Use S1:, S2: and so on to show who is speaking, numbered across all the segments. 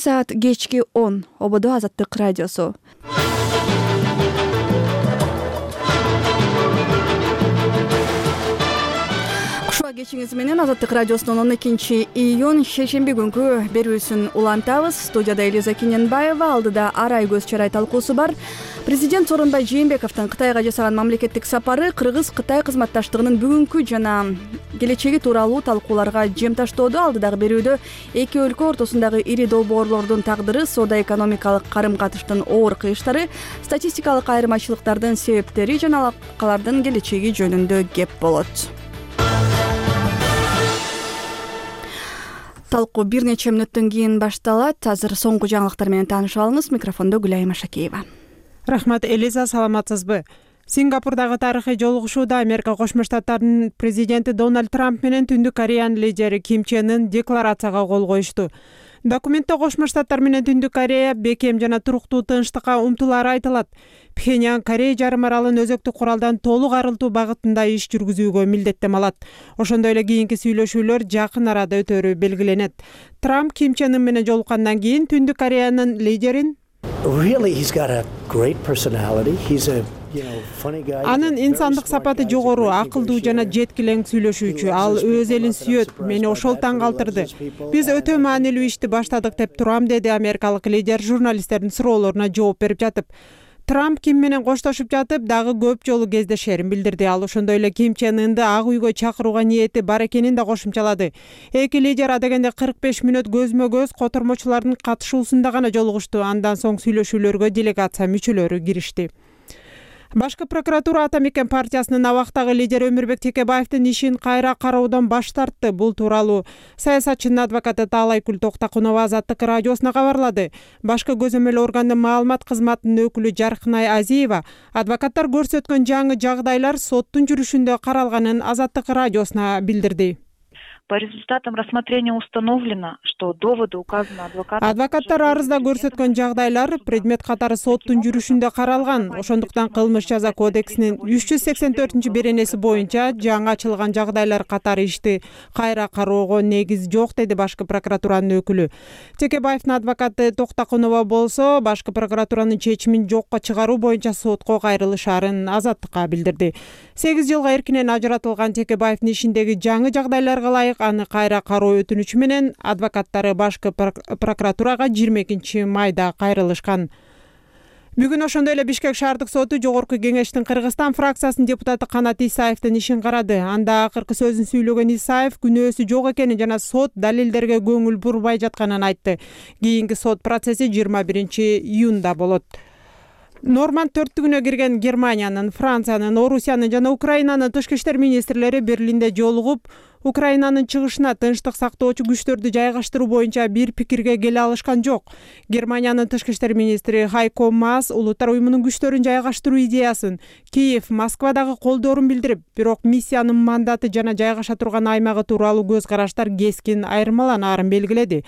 S1: Саат кечки 10 ободо Азаттык радиосу. Кушуа кечиңиз менен Азаттык радиосунун 12-июнь шейшемби күнкү берүүсүн улантабыз. Студияда Элиза Кененбаева, алдыда Арай көз чарай талкуусу бар. Президент Сооронбай Жээнбековдун Кытайга жасаган мамлекеттик сапары Кыргыз-Кытай кызматташтыгынын бүгүнкү жана келечеги тууралуу талкууларга жем таштоодо. Алдыдагы берүүдө эки өлкө ортосундагы ири долбоорлордун тагдыры, соода-экономикалык карым-катыштын оор кыйыштары, статистикалык айырмачылыктардын себептери жана алакалардын келечеги жөнүндө кеп болот. Талкуу бир нече мүнөттөн кийин башталат. Азыр соңку жаңылыктар менен таанышып алыңыз. Микрофондо Гүлайым Ашакеева.
S2: Рахмат, Элиза, саламатсызбы? Сингапурдагы тарыхый жолугушууда Америка Кошмо Штаттарынын президенти Дональд Трамп менен Түндүк Кореянын лидери Ким Чен Ын декларацияга кол коюшту. Документте Кошмо Штаттар менен Түндүк Корея бекем жана туруктуу тынчтыкка умтулаары айтылат. Пхеньян Корея жарым аралын өзөктүк куралдан толук арылтуу багытында иш жүргүзүүгө милдеттем алат. Ошондой эле кийинки сүйлөшүүлөр жакын арада өтөрү белгиленет. Трамп Ким Чен Ын менен жолуккандан кийин Түндүк Кореянын лидерин анын инсандык сапаты жогору, акылдуу жана жеткилең сүйлөшүүчү. Ал өз элин сүйөт. Мени ошол таң калтырды. Биз өтө маанилүү ишти баштадык деп турам, деди америкалык лидер журналисттердин суроолоруна жооп берип жатып. Трамп Ким менен коштошуп жатып дагы көп жолу кездешерин билдирди. Ал ошондой эле Ким Чен Ынды Ак үйгө чакырууга ниети бар экенин да кошумчалады. Эки лидер адегенде 45 мүнөт көзмө-көз котормочулардын катышуусунда гана жолугушту. Андан соң сүйлөшүүлөргө делегация мүчөлөрү киришти. Башкы прокуратура Ата Мекен партиясынын абактагы лидери Өмүрбек Текебаевдин ишин кайра кароодон баш тартты. Бул тууралуу саясатчынын адвокаты Таалайкүл Токтакунова Азаттык радиосуна кабарлады. Башкы көзөмөл органдын маалымат кызматынын өкүлү Жаркынай Азиева адвокаттар көрсөткөн жаңы жагдайлар соттун жүрүшүндө каралганын Азаттык радиосуна билдирди.
S3: По результатам рассмотрения установлено, что доводы указаны адвокатом.
S2: Адвокаттар арызда көрсөткөн жагдайлар предмет катары соттун жүрүшүндө каралган. Ошондуктан кылмыш жаза кодексинин 384-беренеси боюнча жаңы ачылган жагдайлар катары ишти кайра кароого негиз жок, деди башкы прокуратуранын өкүлү. Текебаевдин адвокаты Токтакунова болсо, башкы прокуратуранын чечимин жокко чыгаруу боюнча сотко кайрылышаарын Азаттыкка билдирди. 8 жылга эркинен ажыратылган Текебаевдин ишиндеги жаңы жагдайларга ылайык аны кайра кароо өтүнүчү менен адвокаттары башкы прокуратурага 22 майда кайрылышкан. Бүгүн ошондой эле Бишкек шаардык соту Жогорку кеңештин Кыргызстан фракциясынын депутаты Канат Исаевдин ишин карады. Анда акыркы сөзүн сүйлөгөн Исаев күнөөсү жок экенин жана сот далилдерге көңүл бурбай жатканын айтты. Кийинки сот процесси 21-июнда болот. Норманд төрттүгүнө кирген Германиянын, Франциянын, Орусиянын жана Украинанын тышкы иштер министрлери Берлинде жолугуп, Украинанын чыгышына тынчтык сактоочу күчтөрдү жайгаштыруу боюнча бир пикирге келе алышкан жок. Германиянын тышкы иштер министри Хайко Маас улуттар уюмунун күчтөрүн жайгаштыруу идеясын Киев, Москвадагы колдоорун билдирип, бирок миссиянын мандаты жана жайгаша турган аймагы тууралуу көз караштар кескин айырмаланаарын белгиледи.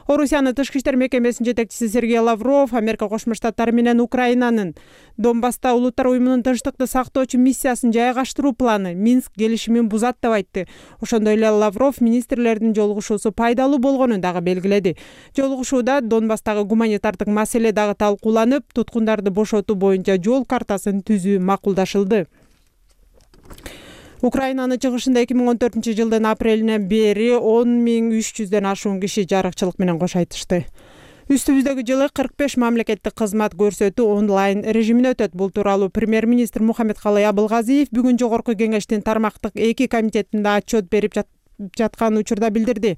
S2: Орусиянын тышкы иштер мекемесинин жетекчиси Сергей Лавров Америка Кошмо Штаттары менен Украинанын Донбасста улуттар уюмунун тынчтыкты сактоочу миссиясын жайгаштыруу планы Минск келишимин бузат деп айтты. Ошондой эле Лавров министрлердин жолугушуусу пайдалуу болгонун дагы белгиледи. Жолугушууда Донбасстагы гуманитардык маселе дагы талкууланып, туткундарды бошотуу боюнча жол картасын түзүү макулдашылды. Украинанын чыгышында 2014-жылдын апрелинен бери 10.300дөн ашуун киши жарыкчылык менен кош айтышты. Үстүбүздөгү жылы 45 мамлекеттик кызмат көрсөтүү онлайн режимине өтөт. Бул тууралуу премьер-министр Мухаммедкалый Абылгазиев бүгүн Жогорку кеңештин тармактык 2 комитетинде отчет берип жаткан учурда билдирди.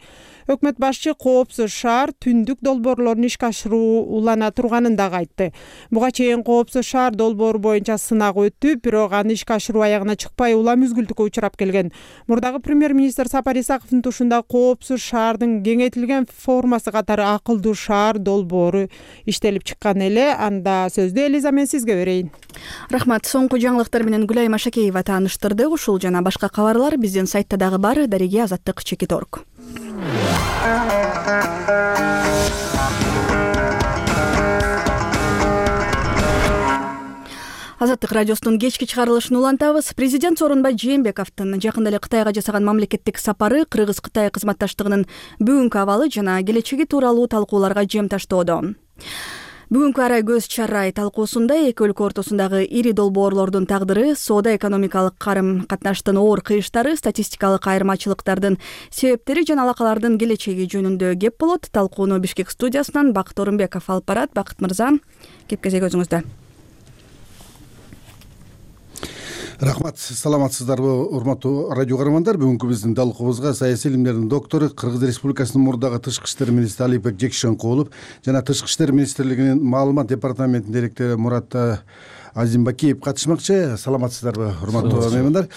S2: Өкмөт башчы коопсуз шаар түндүк долбоорлорун ишке ашыруу улана турганын дагы айтты. Буга чейин коопсуз шаар долбоору боюнча сынак өттү, бирок аны ишке ашыруу аягына чыкпай улам үзгүлтүккө учурап келген. Мурдагы премьер-министр Сапар Исаковдун тушунда коопсуз шаардын кеңейтилген формасы катары акылдуу шаар долбоору иштелип чыккан эле. Анда сөздү Элиза мен сизге берейин.
S1: Рахмат. Соңку жаңылыктар менен Гүлайым Ашакеева тааныштырды. Ушул жана башка кабарлар биздин сайтта дагы бар. Дариги Азаттык @org. Азаттык радиосунун кечки чыгарылышын улантабыз. Президент Сооронбай Жээнбековдун жакында эле Кытайга жасаган мамлекеттик сапары Кыргыз-Кытай кызматташтыгынын бүгүнкү абалы жана келечеги тууралуу талкууларга жем таштоодо. Бүгүнкү арай көз чарай талкуусунда эки өлкө ортосундагы ири долбоорлордун тагдыры, соода-экономикалык карым-катнаштын оор кыйыштары, статистикалык айырмачылыктардын себептери жана алакалардын келечеги жөнүндө кеп болот. Талкууну Бишкек студиясынан Бакыт Орунбеков алып барат. Бакыт мырза, кепкезек өзүңүздө.
S4: Рахмат, саламатсыздарбы, урматтуу радио көрөрмандар. Бүгүнкү биздин талкуубузга саясий илимдердин доктору, Кыргыз Республикасынын мурдагы тышкы иштер министри Алипбек Жекшенкулов жана Тышкы иштер министрлигинин маалымат департаментинин директору Мурат Азимбакиев катышмакчы. Саламатсыздарбы, урматтуу меймандар.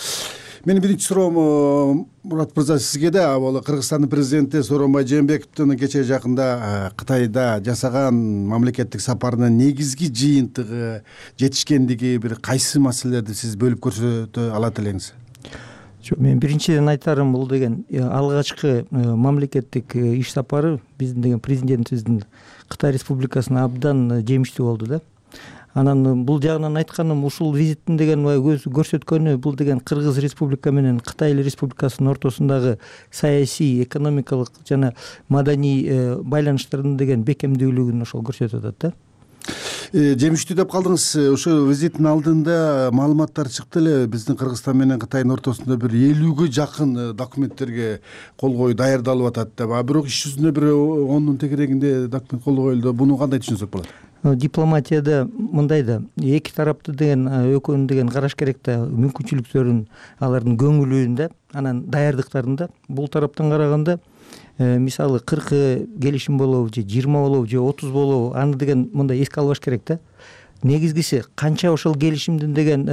S4: Менин биринчи суроом Мурат мырза сизге да. Ал Кыргызстандын президенти Сооронбай Жээнбековдун кечээ жакында Кытайда жасаган мамлекеттик сапарынын негизги жыйынтыгы, жетишкендиги бир кайсы маселелерди сиз бөлүп көрсөтө алат элеңиз?
S5: Мен биринчиден айтарым, бул деген алгачкы мамлекеттик иш сапары биздин деген президентибиздин Кытай Республикасына абдан жемиштүү болду да. Анан бул жагынан айтканым, ушул визиттин деген көрсөткөнү бул деген Кыргыз Республика менен Кытай Республикасынын ортосундагы саясий, экономикалык жана маданий байланыштардын деген бекемдүүлүгүн ошол көрсөтүп атат да.
S4: Жемиштүү деп калдыңыз. Ошо визиттин алдында маалыматтар чыкты эле. Биздин Кыргызстан менен Кытайдын ортосунда бир 50ге жакын документтерге кол коюу даярдалып атат деп. Бирок иш жүзүндө бир 10 тегерегинде документ кол коюлду. Буну кандай түшүнсөк болот?
S5: Дипломатияда мындай да, эки тарапты деген экөөнүн деген караш керек да, мүмкүнчүлүктөрүн, алардын көңүлүн да, анан даярдыктарын да. Бул тараптан караганда мисалы 40 келишим болобу же 20 болобу же 30 болобу, аны деген мындай эске албаш керек да. Негизгиси канча ошол келишимдин деген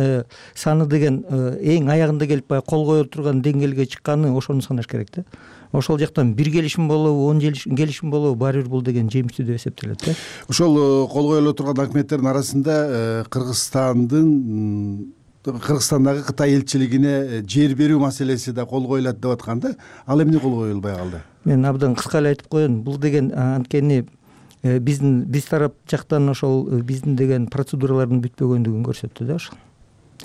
S5: саны деген эң аягында келип кол кое турган деңгээлге чыкканы, ошону санаш керек да. Ошол жактан бир келишим болобу, 10 келишим болобу, баары бир бул деген жемиштүү деп эсептелет да.
S4: Ошол кол коюлуп турган документтердин арасында Кыргызстандагы Кытай элчилигине жер берүү маселеси да кол коюлат деп аткан да. Ал эмне кол коюлбай калды?
S5: Мен абдан кыска эле айтып коеюн. Бул деген анткени биз тарап жактан ошол биздин деген процедуралардын бүтпөгөндүгүн көрсөттү да ошол.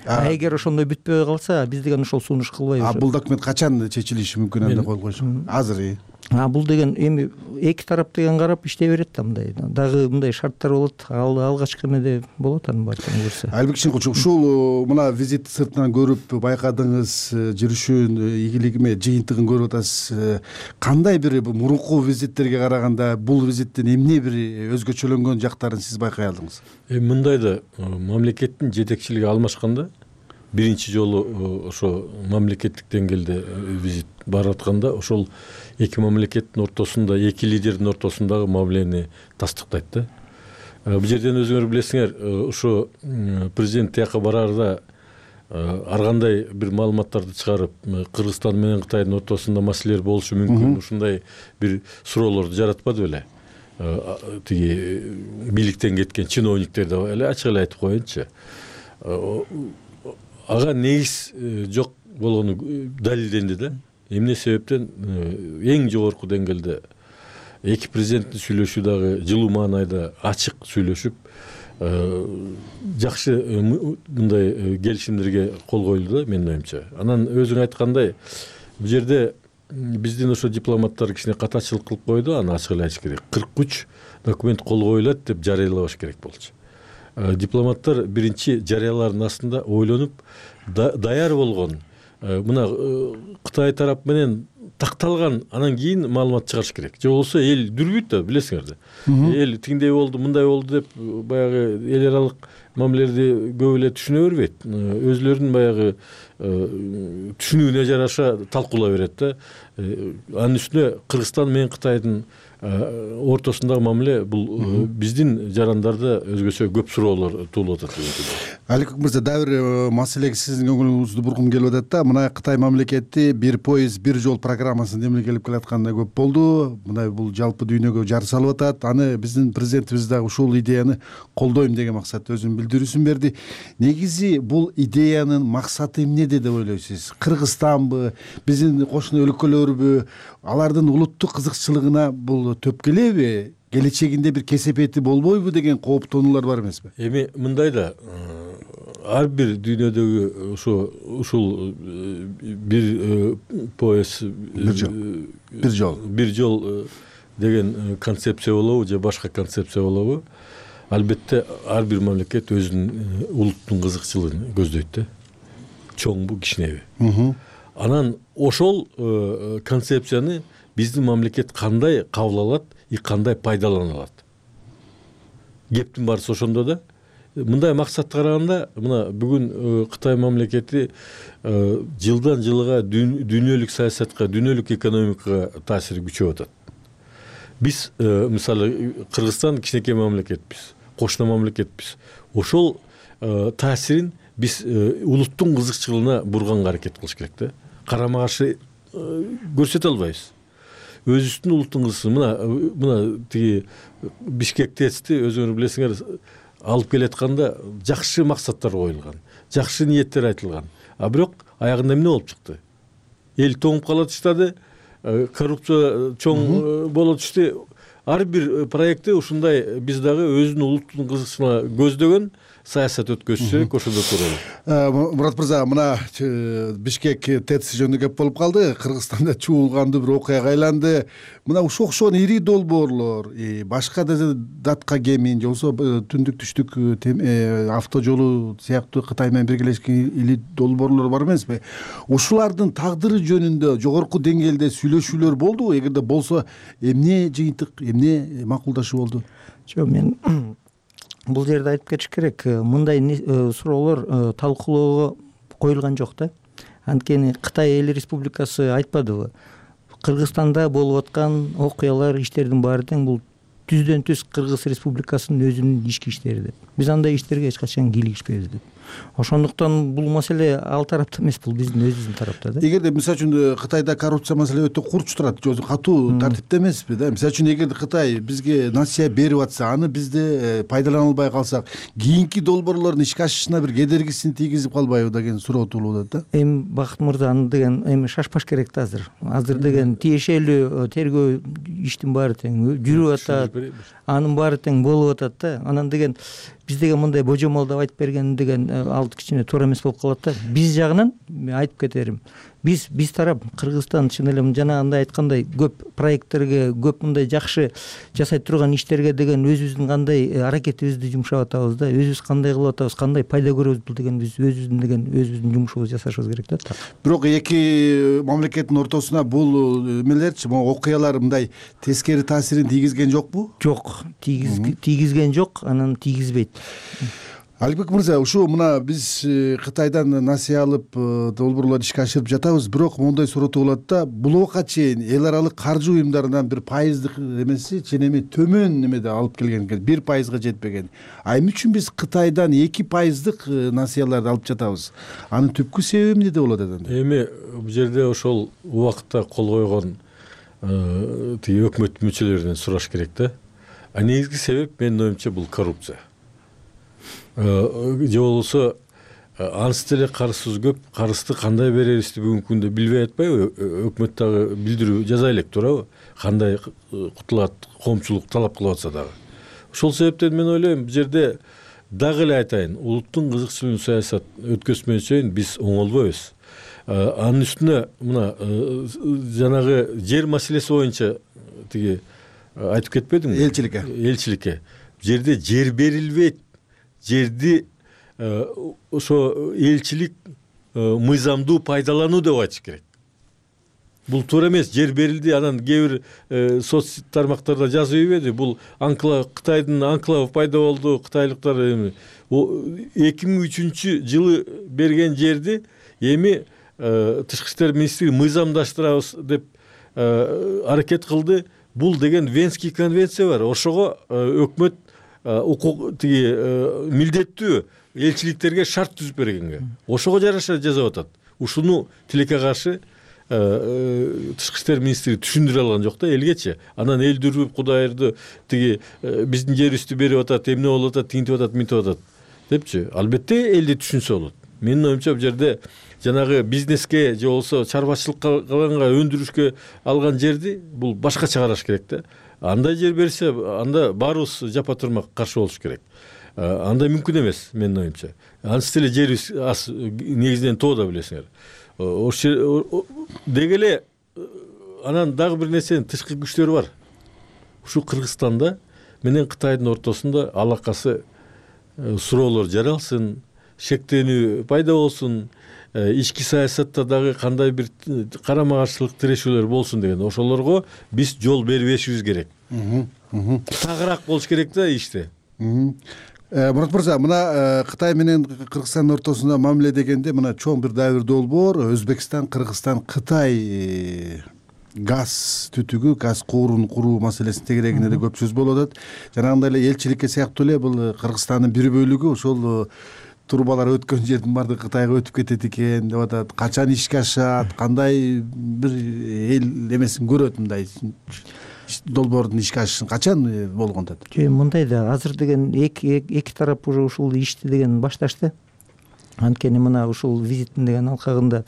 S5: Эгер ошондой бүтпөй калса, биз деген ошол сунуш кылбайбыз.
S4: Бул документ качан чечилиши мүмкүн анда кол коюш? Азыр.
S5: Бул деген эми эки тарап деген карап иштей берет да, мындай. Дагы мындай шарттар болот. Алгачкы эмеде болот, анын баардыгын көрсө.
S4: Албек Шенкулович, ушул мына визит сыртынан көрүп байкадыңыз, жүрүшүн, ийгилигиме жыйынтыгын көрүп атасыз. Кандай бир мурунку визиттерге караганда бул визиттин эмне бир өзгөчөлөнгөн жактарын сиз байкай алдыңыз?
S6: Мындай да, мамлекеттин жетекчилиги алмашканда биринчи жолу ошо мамлекеттик деңгээлде визит барып атканда ошол эки мамлекеттин ортосунда, эки лидердин ортосундагы мамилени тастыктайт да. Бул жерден өзүңөр билесиңер, ошо президент тияка бараарда ар кандай бир маалыматтарды чыгарып, Кыргызстан менен Кытайдын ортосунда маселелер болушу мүмкүн, ушундай бир суроолорду жаратпады беле. Тиги бийликтен кеткен чиновниктер да эле ачык эле айтып коеюнчу. Ага негиз жок болгону далилденди да. Эмне себептен эң жогорку деңгээлде эки президенттин сүйлөшүү дагы жылуу маанайда ачык сүйлөшүп, жакшы мындай келишимдерге кол коюлду да, менин оюмча. Анан өзүң айткандай, бул жерде биздин ошо дипломаттар кичине катачылык кылып койду, аны ачык эле айтыш керек. 43 документ кол коюлат деп жарыялабаш керек болчу. Дипломаттар биринчи жарыялаардын астында ойлонуп, даяр болгон, мына Кытай тарап менен такталган, анан кийин маалымат чыгарыш керек. Же болбосо эл дүрбүйт да, билесиңер да. Эл тиңдей болду, мындай болду деп баягы эл аралык мамилелерди көп эле түшүнө бербейт. Өзлөрүнүн баягы түшүнүүнө жараша талкуулай берет да. Анын үстүнө Кыргызстан менен Кытайдын ортосундагы мамиле бул биздин жарандарда өзгөчө көп суроолор туулуп атат.
S4: Алик мырза, дагы бир маселеге сиздин көңүлүңүздү бургум келип атат да. Мына Кытай мамлекети бир поезд, бир жол программасын демилгелеп келатканда көп болду. Мына бул жалпы дүйнөгө жар салып атат. Аны биздин президентибиз дагы ушул идеяны колдойм деген максатта өзүнүн билдирүүсүн берди. Негизи бул идеянын максаты эмнеде деп ойлойсуз? Кыргызстанбы, биздин кошуна өлкөлөрбү, алардын улуттук кызыкчылыгына бул төп келеби? Келечегинде бир кесепети болбойбу деген кооптонуулар бар эмеспи?
S6: Эми мындай да, ар бир дүйнөдөгү ушул бир пояс бир жол деген концепция болобу же башка концепция болобу, албетте ар бир мамлекет өзүнүн улуттун кызыкчылыгын көздөйт да, чоңбу кичинеби. Анан ошол концепцияны биздин мамлекет кандай кабыл алат и кандай пайдалана алат. Кептин баарысы ошондо да. Мындай максатта караганда, мына бүгүн Кытай мамлекети жылдан жылга дүйнөлүк саясатка, дүйнөлүк экономикага таасири күчөп атат. Биз мисалы Кыргызстан кичинекей мамлекетпиз, кошуна мамлекетпиз. Ошол таасирин биз улуттун кызыкчылыгына бурганга аракет кылыш керек да. Карама каршы көрсөтө албайбыз. Өзүбүздүн улуттун кызыкчылыгы мына тиги Бишкек тести өзүңөр билесиңер, алып келатканда жакшы максаттар коюлган, жакшы ниеттер айтылган. А бирок аягында эмне болуп чыкты? Эл тоңуп кала түштү, коррупция чоң боло түштү. Ар бир проектте ушундай биз дагы өзүнүн улуттун кызыкчылыгына көздөгөн саясат өткөзсөк ошондо туралы.
S4: Мурат мырза, мына Бишкек ТЭЦ жөнүндө кеп болуп калды. Кыргызстанда чуулгандуу бир окуяга айланды. Мына ушул окшогон ири долбоорлор, башка датка кемин, же болбосо түндүк түштүк авто жолу сыяктуу Кытай менен биргелешкен ири долбоорлор бар эмеспи? Ушулардын тагдыры жөнүндө жогорку деңгээлде сүйлөшүүлөр болдубу? Эгерде болсо, эмне жыйынтык, эмне макулдашуу болду?
S5: Жок, мен бул жерде айтып кетиш керек, мындай суроолор талкуулоого коюлган жок да. Анткени Кытай эл республикасы айтпадыбы? Кыргызстанда болуп аткан окуялар, иштердин баары тең бул түздөн түз Кыргыз Республикасынын өзүнүн ички иштери деп. Биз андай иштерге эч качан кийлигишпейбиз деп. Ошондуктан бул маселе ал тарапта эмес, бул биздин өзүбүздүн тарапта да.
S4: Эгерде мисалы үчүн Кытайда коррупция маселе өтө курч турат, катуу тартипте эмеспи да. Мисалы үчүн эгерде Кытай бизге насыя берип атса, аны бизде пайдалана албай калсак, кийинки долбоорлордун ишке ашышына бир кедергисин тийгизип калбайбы деген суроо туулуп атат да.
S5: Эми Бакыт мырза, аны деген эми шашпаш керек да азыр. Азыр деген тиешелүү тергөө иштин баары тең жүрүп атат, анын баары тең болуп атат да. Анан деген биз деген мындай божомолдоп айтып берген деген ал кичине туура эмес болуп калат да. Биз жагынан айтып кетерим. Биз тарап Кыргызстан чын эле жанагындай айткандай көп проекттерге, көп мындай жакшы жасай турган иштерге деген өзүбүздүн кандай аракетибизди жумшап атабыз да. Өзүбүз кандай кылып атабыз, кандай пайда көрөбүз, бул деген биз өзүбүздүн жумушубузду жасашыбыз керек да.
S4: Бирок эки мамлекеттин ортосуна бул эмелерчи, могу окуялар мындай тескери таасирин тийгизген жокпу?
S5: Жок, тийгизген жок, анан тийгизбейт.
S4: Алибек мырза, ушу мына биз Кытайдан насыя алып долбоорлорду ишке ашырып жатабыз, бирок моундай суроо болот да, бул убакка чейин эл аралык каржы уюмдарынан бир пайыздык эмеси ченеми төмөн немеде алып келген экен, 1% жетпеген. А эмне үчүн биз Кытайдан 2% насыяларды алып жатабыз? Анын түпкү себеби эмнеде болот экен?
S6: Эми бул жерде ошол убакытта кол койгон тиги өкмөт мүчөлөрүнөн сураш керек да. А негизги себеп менин оюмча бул коррупция. Же болбосо анысы деле карызсыз көп, карызды кандай берерибизди бүгүнкү күндө билбей атпайбы? Өкмөт дагы билдирүү жаза элек туурабы? Кандай кутулат, коомчулук талап кылып атса дагы. Ошол себептен мен ойлойм, бул жерде дагы эле айтайын, улуттун кызыкчылыгын саясат өткөзмөйүн биз оңолбойбуз. Анын үстүнө мына жанагы жер маселеси боюнча тиги айтып кетпедиңби? Элчиликке. Бул жерде жер берилбейт. Жерди ошо элчилик мыйзамдуу пайдалануу деп айтыш керек. Бул туура эмес. Жер берилди, анан кээ бир соц тармактарда жазып ийбеди. Бул Кытайдын анклавы пайда болду, кытайлыктар 2003 жылы берген жерди эми тышкы иштер министрлиги мыйзамдаштырабыз деп аракет кылды. Бул деген Венский конвенция бар. Ошого өкмөт тиги милдеттүү элчиликтерге шарт түзүп бергенге. Ошого жараша жазап атат. Ушуну тилекке каршы тышкы иштер министри түшүндүрө алган жок да элгечи. Анан эл дүрүп Кудайырды тиги биздин жерибизди берип атат, эмне болуп атат, тинтип атат, минтип атат депчи. Албетте элди түшүнсө болот. Менин оюмча бул жерде жанагы бизнеске же болбосо чарбачылыкка өндүрүшкө алган жерди бул башкача караш керек да. Андай жер берсе, анда баарыбыз жапа турмак каршы болуш керек. андай мүмкүн эмес менин оюмча. Ансыз деле жерибиз аз негизинен тоода билесиңер. Ошо деги эле анан дагы бир нерсенин тышкы күчтөрү бар. Ушу Кыргызстанда менен Кытайдын ортосунда алакасы суроолор жаралсын, шектенүү пайда болсун, ички саясатта дагы кандай бир карама каршылык тирешүүлөр болсун деген ошолорго биз жол бербешибиз керек. Тагыраак болуш керек да иште.
S4: Мурат мырза, мына Кытай менен Кыргызстандын ортосунда мамиле дегенде мына чоң бир дагы бир долбоор Өзбекстан, Кыргызстан, Кытай газ түтүгү, газ куурун куруу маселесин тегерегинде да көп сөз болуп атат. Жанагындай эле элчиликке сыяктуу эле бул Кыргызстандын бир бөлүгү ошол трубалар өткөн жердин баардыгы Кытайга өтүп кетет экен деп атат. Качан ишке ашат, кандай бир эл эмесин көрөт мындай долбоордун ишке ашышын качан болгон деп.
S5: Мындай да азыр деген эки тарап уже ушул ишти деген башташты. Анткени мына ушул визиттин деген алкагында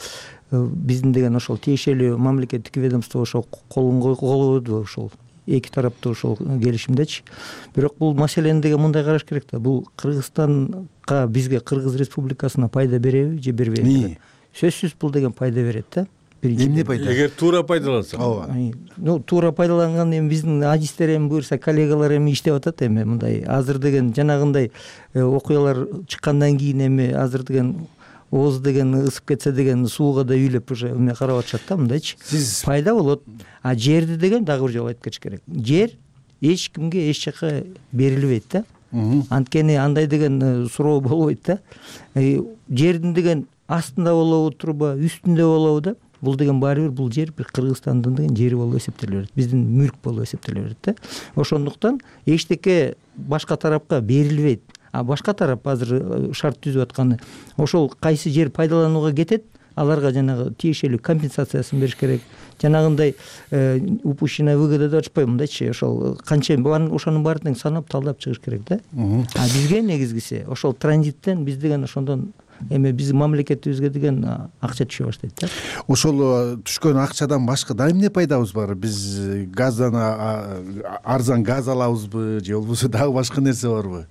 S5: биздин деген ошол тиешелүү мамлекеттик ведомство ошол колун койду ошол эки тараптуу ошол келишимдечи. Бирок бул маселени деген мындай караш керек да. Бул Кыргызстанга, бизге, Кыргыз Республикасына пайда береби же бербейби? Сөзсүз бул деген пайда берет да.
S4: Эмне пайда?
S6: Эгер туура пайдаланса.
S5: Туура пайдаланган эми биздин адистер эми буюрса коллегалар эми иштеп атат эми мындай. Азыр деген жанагындай окуялар чыккандан кийин эми азыр деген ооз деген ысып кетсе деген сууга да үйлөп уже эме карап атышат да мындайчы. Пайда болот. А жерди деген дагы бир жолу айтып кетиш керек. Жер эч кимге эч жака берилбейт да. Анткени андай деген суроо болбойт да. Жердин деген астында болобу, труба үстүндө болобу да. Бул деген баары бир бул жер бир Кыргызстандын деген жери болуп эсептеле берет. Биздин мүлк болуп эсептеле берет да. Ошондуктан эчтеке башка тарапка берилбейт. А башка тарап азыр шарт түзүп атканы ошол кайсы жер пайдаланууга кетет, аларга жанагы тиешелүү компенсациясын бериш керек. Жанагындай упущенная выгода деп атышпайбы мындайчы, ошол канча ошонун баарын санап талдап чыгыш керек да. А бизге негизгиси ошол транзиттен биз деген ошондон эми биздин мамлекетибизге деген акча түшө баштайт да.
S4: Ошол түшкөн акчадан башка да эмне пайдабыз бар? Биз газдан арзан газ алабызбы же болбосо дагы башка нерсе барбы?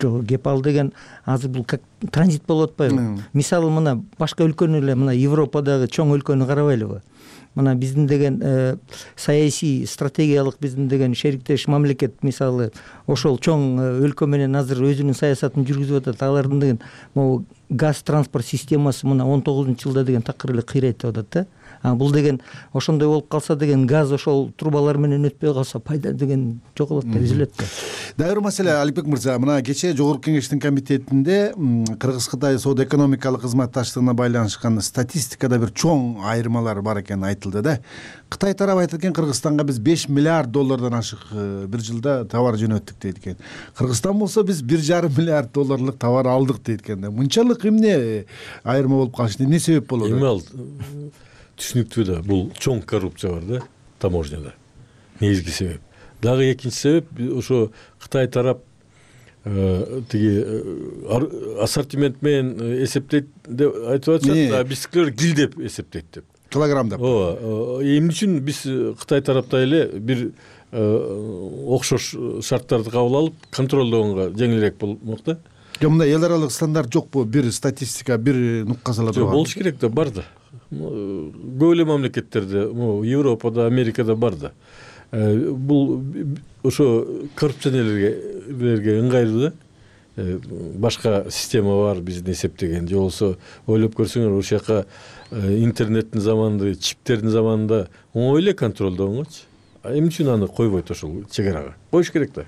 S5: Жок, кеп ал деген азыр бул как транзит болуп атпайбы? Мисалы мына башка өлкөнү эле мына Европадагы чоң өлкөнү карабайлыбы? Мына биздин деген саясий стратегиялык биздин деген шериктеш мамлекет мисалы ошол чоң өлкө менен азыр өзүнүн саясатын жүргүзүп атат. Алардын деген могу газ транспорт системасы мына 19-жылда деген такыр эле кыйрайт деп атат да. Бул деген ошондой болуп калса деген газ ошол трубалар менен өтпөй калса пайда деген жоголот да, үзүлөт да.
S4: Дагы бир маселе Алипбек мырза, мына кечээ Жогорку Кеңештин комитетинде Кыргыз-Кытай соода экономикалык кызматташтыгына байланышкан статистикада бир чоң айырмалар бар экени айтылды да. Кытай тарабы айтат экен, Кыргызстанга биз 5 миллиард доллардан ашык бир жылда товар жөнөттүк дейт экен. Кыргызстан болсо биз 1,5 миллиард долларлык товар алдык дейт экен да. Мынчалык эмне айырма болуп калышы, эмне себеп болот?
S6: Эми ал түшүнүктүү да, бул чоң коррупция бар да таможняда. Негизги себеп. Дагы экинчи себеп ошо Кытай тарап тиги ассортимент менен эсептейт деп айтып атышат, а биздикилер кил деп эсептейт деп.
S4: Килограммдап.
S6: Эмне үчүн биз Кытай тарапта эле бир окшош шарттарды кабыл алып контролдогонго жеңилирээк болмок да.
S4: Мындай эл аралык стандарт жокпу? Бир статистика, бир нукка сала турган.
S6: Болуш керек да, бар да. Көп эле мамлекеттерде, Европада, Америкада бар да. Бул ошо коррупционерлерге ыңгайлуу да. Башка система бар биздин эсептеген. Же болсо ойлоп көрсөңөр, ошол жака интернеттин заманында, чиптердин заманында оңой эле контролдогонгочу. Эмне үчүн аны койбойт ошол чегарага? Коюш керек да.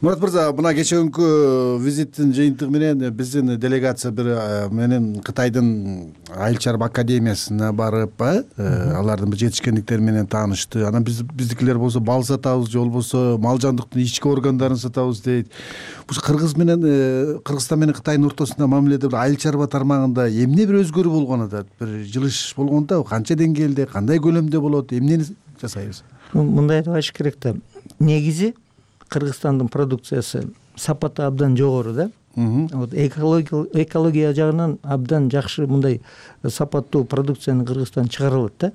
S4: Мурат мырза, мына кечээкүнкү визиттин жыйынтыгы менен биздин делегация бир менен Кытайдын айыл чарба академиясына барып, алардын бир жетишкендиктери менен таанышты. Анан биздикилер болсо бал сатабыз, же болбосо мал жандыктын ички органдарын сатабыз дейт. Бул Кыргызстан менен Кытайдын ортосунда мамиледе бир айыл чарба тармагында эмне бир өзгөрүү болгон атат? Бир жылыш болгондо канча деңгээлде, кандай көлөмдө болот? Эмнени жасайбыз?
S5: Мындай деп айтыш керек да. Негизи Кыргызстандын продукциясы сапаты абдан жогору да. Экология жагынан абдан жакшы мындай сапаттуу продукцияны Кыргызстан чыгара алат да.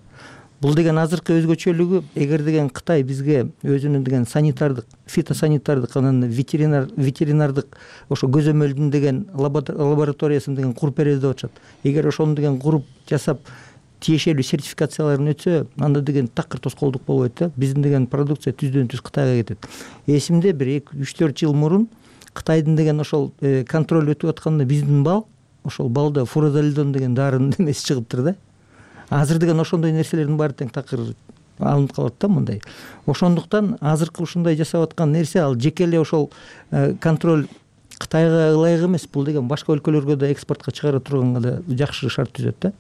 S5: Бул деген азыркы өзгөчөлүгү, эгер деген Кытай бизге өзүнүн деген санитардык, фитосанитардык, анан ветеринардык ошо көзөмөлдүн деген лабораториясын деген куруп беребиз деп атышат. Эгер ошону деген куруп жасап тиешелүү сертификацияларын өтсө, анда деген такыр тоскоолдук болбойт да. Биздин деген продукция түздөн түз Кытайга кетет. Эсимде бир 3-4 жыл мурун Кытайдын деген ошол контроль өтүп атканда биздин бал, ошол балда фурозолидон деген дарынын эмеси чыгыптыр да. Азыр деген ошондой нерселердин баары тең такыр алынып калат да мындай. Ошондуктан азыркы ушундай жасап аткан нерсе ал жеке эле ошол контроль Кытайга ылайык эмес. Бул деген башка өлкөлөргө да экспортко чыгара турганга да жакшы шарт түзөт да.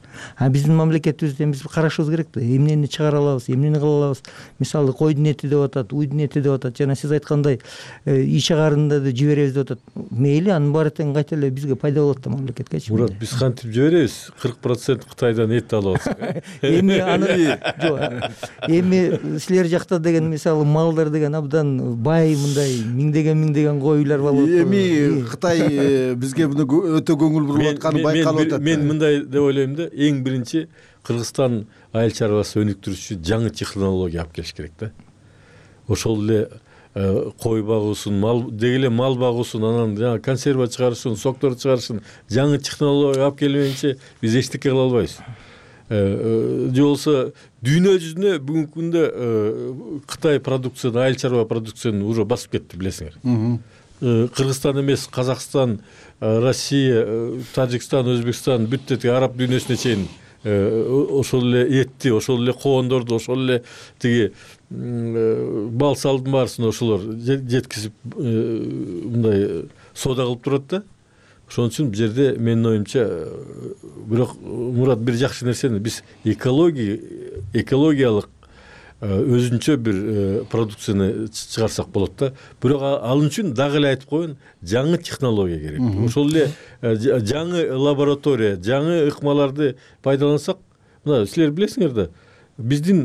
S5: Биздин мамлекетибизде биз карашыбыз керек да. Эмнени чыгара алабыз, эмнени кыла алабыз. Мисалы койдун эти деп атат, уйдун эти деп атат. Жана сиз айткандай иш чыгарында да жиберебиз деп атат. Мейли, анын баары тең кайта эле бизге пайда болот да мамлекеткечи.
S6: Мурат, биз кантип жиберебиз? 40% Кытайдан эт алып атсак.
S5: Эми аны эми силер жакта деген мисалы малдар деген абдан бай, мындай миңдеген коюлар болот.
S4: Эми Кытай бизге муну өтө көңүл буруп атканы байкалып атат.
S6: Мен мындай деп ойлойм да, эң биринчи Кыргызстан айыл чарбасы өнүктүрүшү жаңы технология алып келиш керек да. Ошол эле кой багуусун, мал деги эле мал багуусун, анан жана консерва чыгарышын, соктор чыгарышын жаңы технология алып келбейинче биз эчтеке кыла албайбыз. Же болбосо дүйнө жүзүнө бүгүнкү күндө Кытай продукцияны, айыл чарба продукцияны уже басып кетти, билесиңер. Кыргызстан эмес, Казакстан, Россия, Тажикстан, Өзбекстан, бүт тиги араб дүйнөсүнө чейин ошол эле этти, ошол эле коондорду, ошол эле тиги бал салдын баарысын ошолор жеткизип мындай соода кылып турат да. Ошон үчүн бул жерде менин оюмча, бирок Мурат, бир жакшы нерсени биз экологиялык өзүнчө бир продукцияны чыгарсак болот да. Бирок ал үчүн дагы эле айтып коеюн, жаңы технология керек. Ошол эле жаңы лаборатория, жаңы ыкмаларды пайдалансак, мына силер билесиңер да, биздин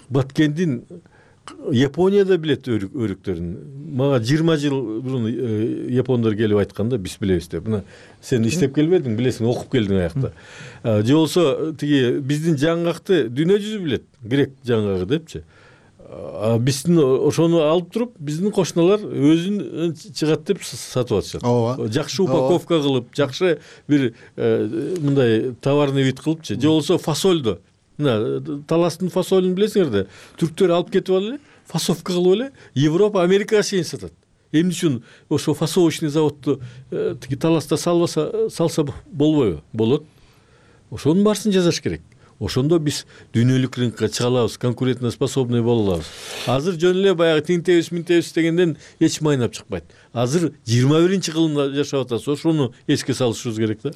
S6: Баткендин Японияда билет өрүктөрүн. Мага 20 жыл мурун япондор келип айтканда биз билебиз деп. Мына сен иштеп келбедиң, билесиң, окуп келдиң аякта. Же болсо тиги биздин жаңгакты дүйнө жүзү билет, грек жаңгагы депчи. Биздин ошону алып туруп, биздин кошуналар өзүн чыгат деп сатып атышат. Жакшы упаковка кылып, жакшы бир мындай товарный вид кылыпчы. Же болсо фасольду. Мына таластын фасолун билесиңер да, түрктөр алып кетип алып эле, фасовка кылып эле Европа, Америкага чейин сатат. Эмне үчүн ошо фасовочный заводду тиги таласта салса болбойбу? Болот. Ошонун баарысын жасаш керек. Ошондо биз дүйнөлүк рынокко чыга алабыз, конкурентоспособный боло алабыз. Азыр жөн эле баягы тинтебиз дегенден эч майнап чыкпайт. Азыр 21-кылымда жашап атабыз. Ошону эске салышыбыз керек да.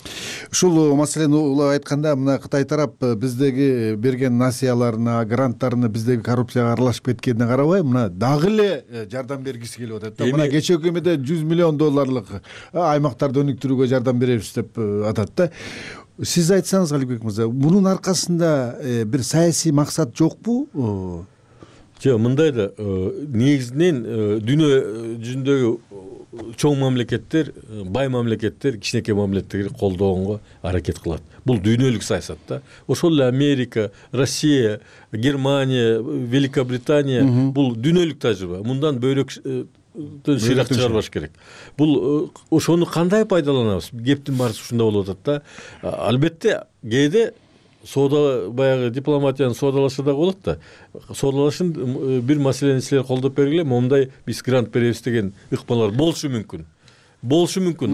S4: Ушул маселени улап айтканда, мына Кытай тарап биздеги берген насыяларына, гранттарына биздеги коррупцияга аралашып кеткенине карабай, мына дагы эле жардам бергиси келип атат. Мына кечээ өкмөтү $100 миллион аймактарды өнүктүрүүгө жардам беребиз деп атат да. Сиз айтсаңыз, Алибек мырза, мунун аркасында бир саясий максат жокпу?
S6: Жок, мындай да, негизинен дүйнө жүзүндөгү чоң мамлекеттер, бай мамлекеттер кичинекей мамлекеттерди колдогонго аракет кылат. Бул дүйнөлүк саясат да. Ошол эле Америка, Россия, Германия, Великобритания бул дүйнөлүк тажрыйба. Мындан бөйрөк шыйрак чыгарбаш керек. Бул ошону кандай пайдаланабыз? Кептин баарысы ушунда болуп атат да. Албетте, кээде соода, баягы дипломатиянын соодалашы да болот да. Соодалашын бир маселени силер колдоп бергиле, момундай биз грант беребиз деген ыкмалар болушу мүмкүн.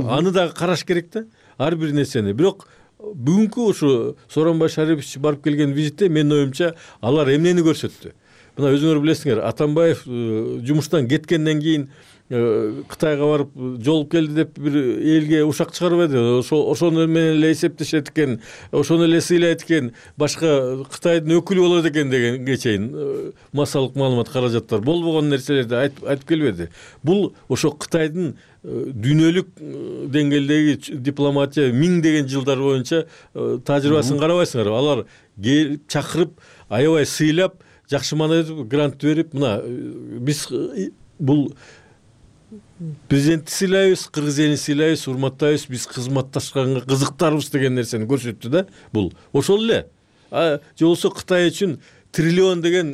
S6: Аны дагы караш керек да. Ар бир нерсени. Бирок бүгүнкү ушу Сооронбай Шарипович барып келген визитте менин оюмча алар эмнени көрсөттү? Мына өзүңөр билесиңер, Атамбаев жумуштан кеткенден кийин Кытайга барып жолуп келди деп бир элге ушак чыгарбады. Ошону менен эле эсептешет экен, ошону эле сыйлайт экен, башка Кытайдын өкүлү болот экен дегенге чейин массалык маалымат каражаттар болбогон нерселерди айтып келбеди. Бул ошо Кытайдын дүйнөлүк деңгээлдеги дипломатия миңдеген жылдар боюнча тажрыйбасын карабайсыңар. Алар чакырып, аябай сыйлап, жакшы маанайда грант берип, мына биз бул президентти сыйлайбыз, кыргыз элин сыйлайбыз, урматтайбыз, биз кызматташканга кызыктарбыз деген нерсени көрсөттү да. Бул ошол эле. Же болсо Кытай үчүн триллион деген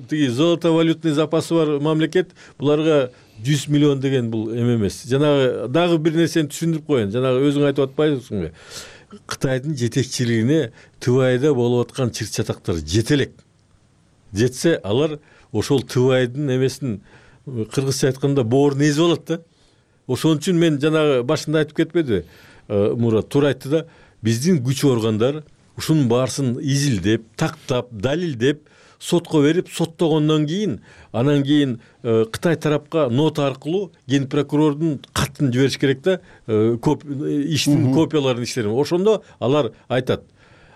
S6: тиги золотовалютный запасы бар мамлекет, буларга 100 миллион деген бул эме эмес. Жанагы дагы бир нерсени түшүндүрүп коеюн. Жанагы өзүң айтып атпайсыңбы? Кытайдын жетекчилигине ТВАЙда болуп аткан чыр-чатактар жете элек. Жетсе алар ошол ТВАЙдын эмесин кыргызча айтканда боорун эзип алат да. Ошон үчүн мен жанагы башында айтып кетпедиби? Мурат туура айтты да. Биздин күч органдар ушунун баарысын изилдеп, тактап, далилдеп, сотко берип, соттогондон кийин, анан кийин Кытай тарапка нота аркылуу ген прокурордун катын жибериш керек да, иштин копияларын иштерин. Ошондо алар айтат.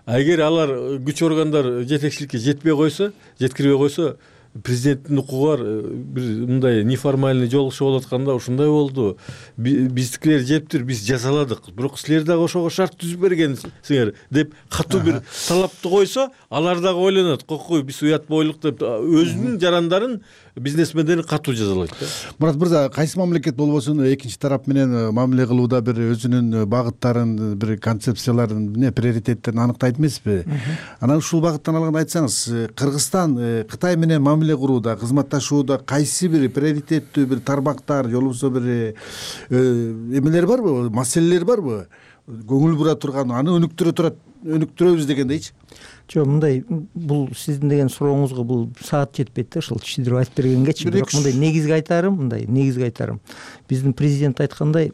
S6: Эгер алар күч органдар жетекчиликке жетпей койсо, жеткирбей койсо, президенттин укугу бар бир мындай неформальный жолугушуу болуп атканда ушундай болду. Биздикилер жептир, биз жазаладык. Бирок силер дагы ошого шарт түзүп бергенсиңер деп катуу бир талапты койсо, алар дагы ойлонот. Кокой биз уят бойлук деп өзүнүн жарандарын, бизнесмендерин катуу жазалайт да.
S4: Мурат мырза, кайсы мамлекет болбосун экинчи тарап менен мамиле кылууда бир өзүнүн багыттарын, бир концепцияларын, приоритеттерин анықтайт эмеспи? Анан ушул багыттан алганда айтсаңыз, Кыргызстан Кытай менен мамиле курууда, кызматташууда кайсы бир приоритеттүү бир тармактар, же болбосо бир эмелер барбы, маселелер барбы? Көңүл бура турган, аны өнүктүрөбүз дегендейчи?
S5: Жок, мындай бул сиздин деген сурооңузга бул саат жетпейт да, ошол түшүндүрүп айтып бергенгечи. Бирок мындай негизги айтарым, биздин президент айткандай,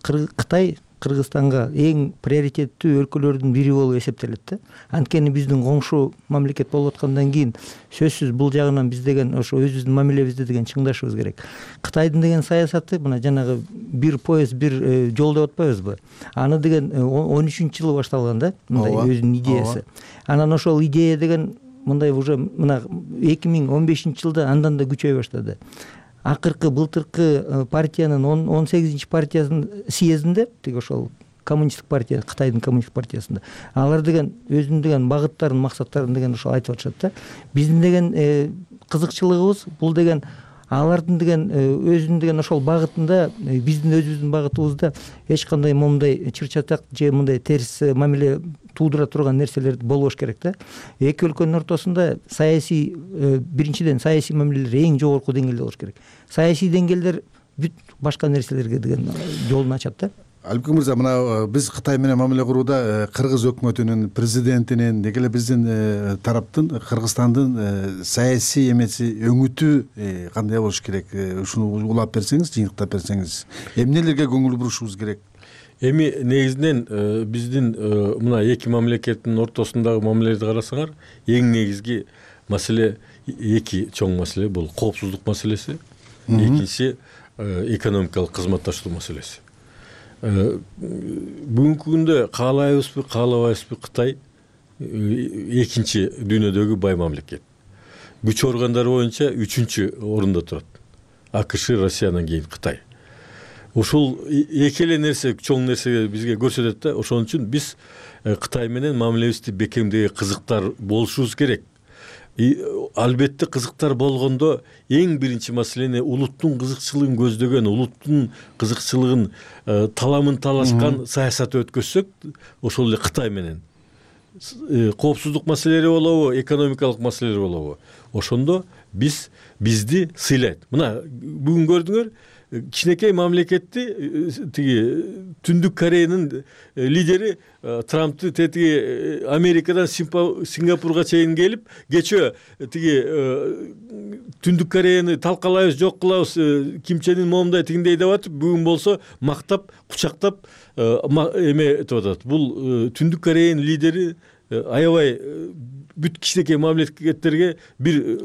S5: Кытай Кыргызстанга эң приоритеттүү өлкөлөрдүн бири болуп эсептелет да. Анткени биздин коңшу мамлекет болуп аткандан кийин сөзсүз бул жагынан биз деген ошо өзүбүздүн мамилебизди деген чыңдашыбыз керек. Кытайдын деген саясаты мына жанагы бир поезд, бир жол деп атпайбызбы? Аны деген 13-жылы башталган да, мындай өзүнүн идеясы. Анан ошол идея деген мындай уже мына 2015-жылда андан да күчөй баштады. Акыркы былтыркы партиянын 18-чи партиясынын съездинде, тиги ошол коммунисттик партия, Кытайдын коммунисттик партиясында, алар деген өзүнүн деген багыттарын, максаттарын деген ошол айтып атышат да. Биздин деген кызыкчылыгыбыз бул деген алардын деген өзүнүн деген ошол багытында, биздин өзүбүздүн багытыбызда эч кандай момундай чыр-чатак же мындай терс мамиле туудура турган нерселер болбош керек да. Эки өлкөнүн ортосунда саясий, биринчиден саясий мамилелер эң жогорку деңгээлде болуш керек. Саясий деңгээлдер бүт башка нерселерге деген жолун ачат да.
S4: Албек мырза, мына биз Кытай менен мамиле курууда кыргыз өкмөтүнүн, президентинин, деги эле биздин тараптын, Кыргызстандын саясий эмеси, өңүтү кандай болуш керек? Ушуну улап берсеңиз, жыйынтыктап берсеңиз, эмнелерге көңүл бурушубуз керек?
S6: Эми негизинен биздин мына эки мамлекеттин ортосундагы мамилелерди карасаңар, эң негизги маселе эки чоң маселе. Бул коопсуздук маселеси, экинчиси экономикалык кызматташуу маселеси. Бүгүнкү күндө каалайбызбы, каалабайбызбы, Кытай экинчи дүйнөдөгү бай мамлекет. Күч органдары боюнча 3-чү орунда турат. АКШ, Россиянан кийин Кытай. Ушул эки эле нерсе, чоң нерсе бизге көрсөтөт да. Ошон үчүн биз Кытай менен мамилебизди бекемдеги кызыктар болушубуз керек. Албетте кызыктар болгондо эң биринчи маселени улуттун кызыкчылыгын көздөгөн, улуттун кызыкчылыгын таламын талашкан саясат өткөзсөк, ошол эле Кытай менен коопсуздук маселелери болобу, экономикалык маселелер болобу, ошондо бизди сыйлайт. Мына бүгүн көрдүңөр, кичинекей мамлекетти тиги Түндүк Кореянын лидери Трампты тетиги Америкадан Сингапурга чейин келип, кечөө тиги Түндүк Кореяны талкалайбыз, жок кылабыз, Ким Чен Ын момундай тигиндей деп атып, бүгүн болсо мактап, кучактап эме этип атат. Бул Түндүк Кореянын лидери аябай бүт кичинекей мамлекеттерге бир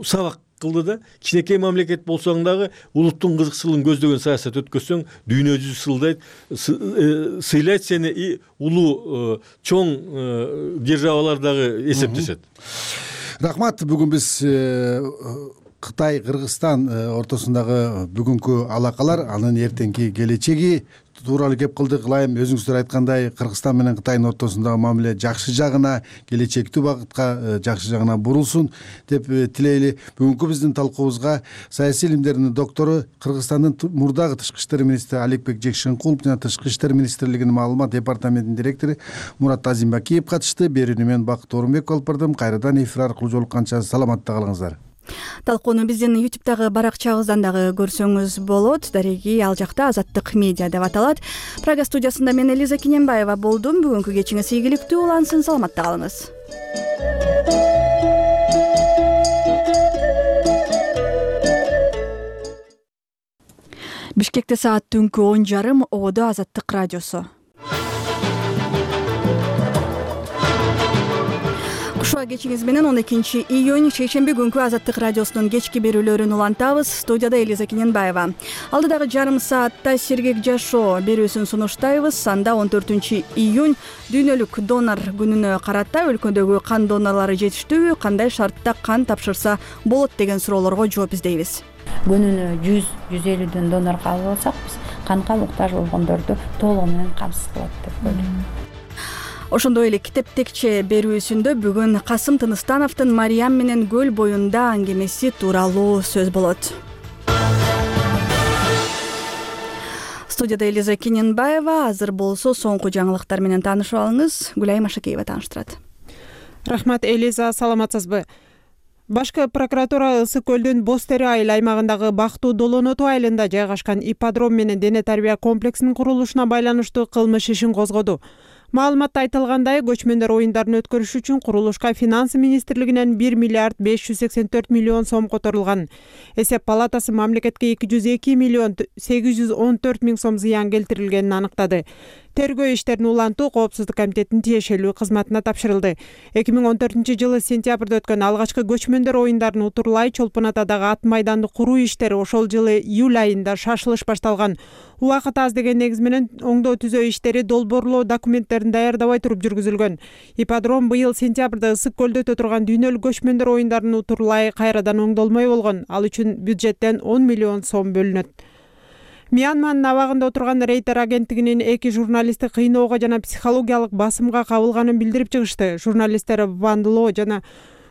S6: сабак кылды да. Кичинекей мамлекет болсоң дагы улуттун кызыкчылыгын көздөгөн саясат өткөзсөң, дүйнө жүзү сыйлайт сени, улуу чоң державалар дагы эсептешет.
S4: Рахмат. Бүгүн биз Кытай Кыргызстан ортосундагы бүгүнкү алакалар, анын эртеңки келечеги тууралуу кеп кылдык. Ылайым өзүңүздөр айткандай, Кыргызстан менен Кытайдын ортосундагы мамиле жакшы жагына, келечектүү багытка жакшы жагына бурулсун деп тилейли. Бүгүнкү биздин талкуубузга саясий илимдердин доктору, Кыргызстандын мурдагы тышкы иштер министри Аликбек Жекшенкулов жана Тышкы иштер министрлигинин маалымат департаментинин директору Мурат Азимбакиев катышты. Берүүнү мен Бакыт Орунбеков алып бардым. Кайрадан эфир аркылуу жолукканча саламатта калыңыздар.
S1: Талкууну биздин YouTube'дагы баракчабыздан дагы көрсөңүз болот. Дареги ал жакта Азаттык медиа деп аталат. Прага студиясында мен Элиза Киненбаева болдум. Бүгүнкү кечиңиз ийгиликтүү улансын, саламатта калыңыз. Бишкекте саат түнкү 10:30. Ободо Азаттык радиосу. Кушуа кечиңиз менен 12 июнь шейшемби күнкү Азаттык радиосунун кечки берүүлөрүн улантабыз. Студияда Элиза Киненбаева. Алдыдагы жарым саатта сергек жашоо берүүсүн сунуштайбыз. Анда 14 июнь дүйнөлүк донор күнүнө карата өлкөдөгү кан донорлору жетиштүүбү, кандай шартта кан тапшырса болот деген суроолорго жооп издейбиз.
S7: Күнүнө 100-150 донор кабыл алсак, биз канга муктаж болгондорду толугу менен камсыз кылат деп ойлойм.
S1: Ошондой эле китеп текче берүүсүндө бүгүн Касым Тыныстановдун Мариям менен көл боюнда аңгемеси тууралуу сөз болот. Студияда Элиза Киненбаева. Азыр болсо соңку жаңылыктар менен таанышып алыңыз. Гүлай Машакеева тааныштырат.
S2: Рахмат Элиза, саламатсызбы? Башкы прокуратура Ысык көлдүн Боз Тери айыл аймагындагы Бактуу Долоноту айылында жайгашкан ипподром менен дене тарбия комплексинин курулушуна байланыштуу кылмыш ишин козгоду. Маалыматта айтылгандай, көчмөндөр оюндарын өткөрүш үчүн курулушка Финансы министрлигинен 1 миллиард 584 миллион сом которулган. Эсеп палатасы мамлекетке 202 миллион 814 миң сом зыян келтирилгенин аныктады. Тергөө иштерин улантуу Коопсуздук комитетинин тиешелүү кызматына тапшырылды. 2014-жылы сентябрда өткөн алгачкы көчмөндөр оюндарын Утурлай Чолпон Атадагы ат майданды куруу иштери ошол жылы июль айында шашылыш башталган. Убакыт аз деген негиз менен оңдоо түзөө иштери долбоорлоо документтерин даярдабай туруп жүргүзүлгөн. Ипподром быйыл сентябрда Ысык көлдө өтө турган дүйнөлүк көчмөндөр оюндарын Утурлай кайрадан оңдолмой болгон. Ал үчүн бюджеттен 10 миллион сом бөлүнөт. Мьянманын абагында отурган Рейтер агенттигинин 2 журналисти кыйноого жана психологиялык басымга кабылганын билдирип чыгышты. Журналисттер Вандло жана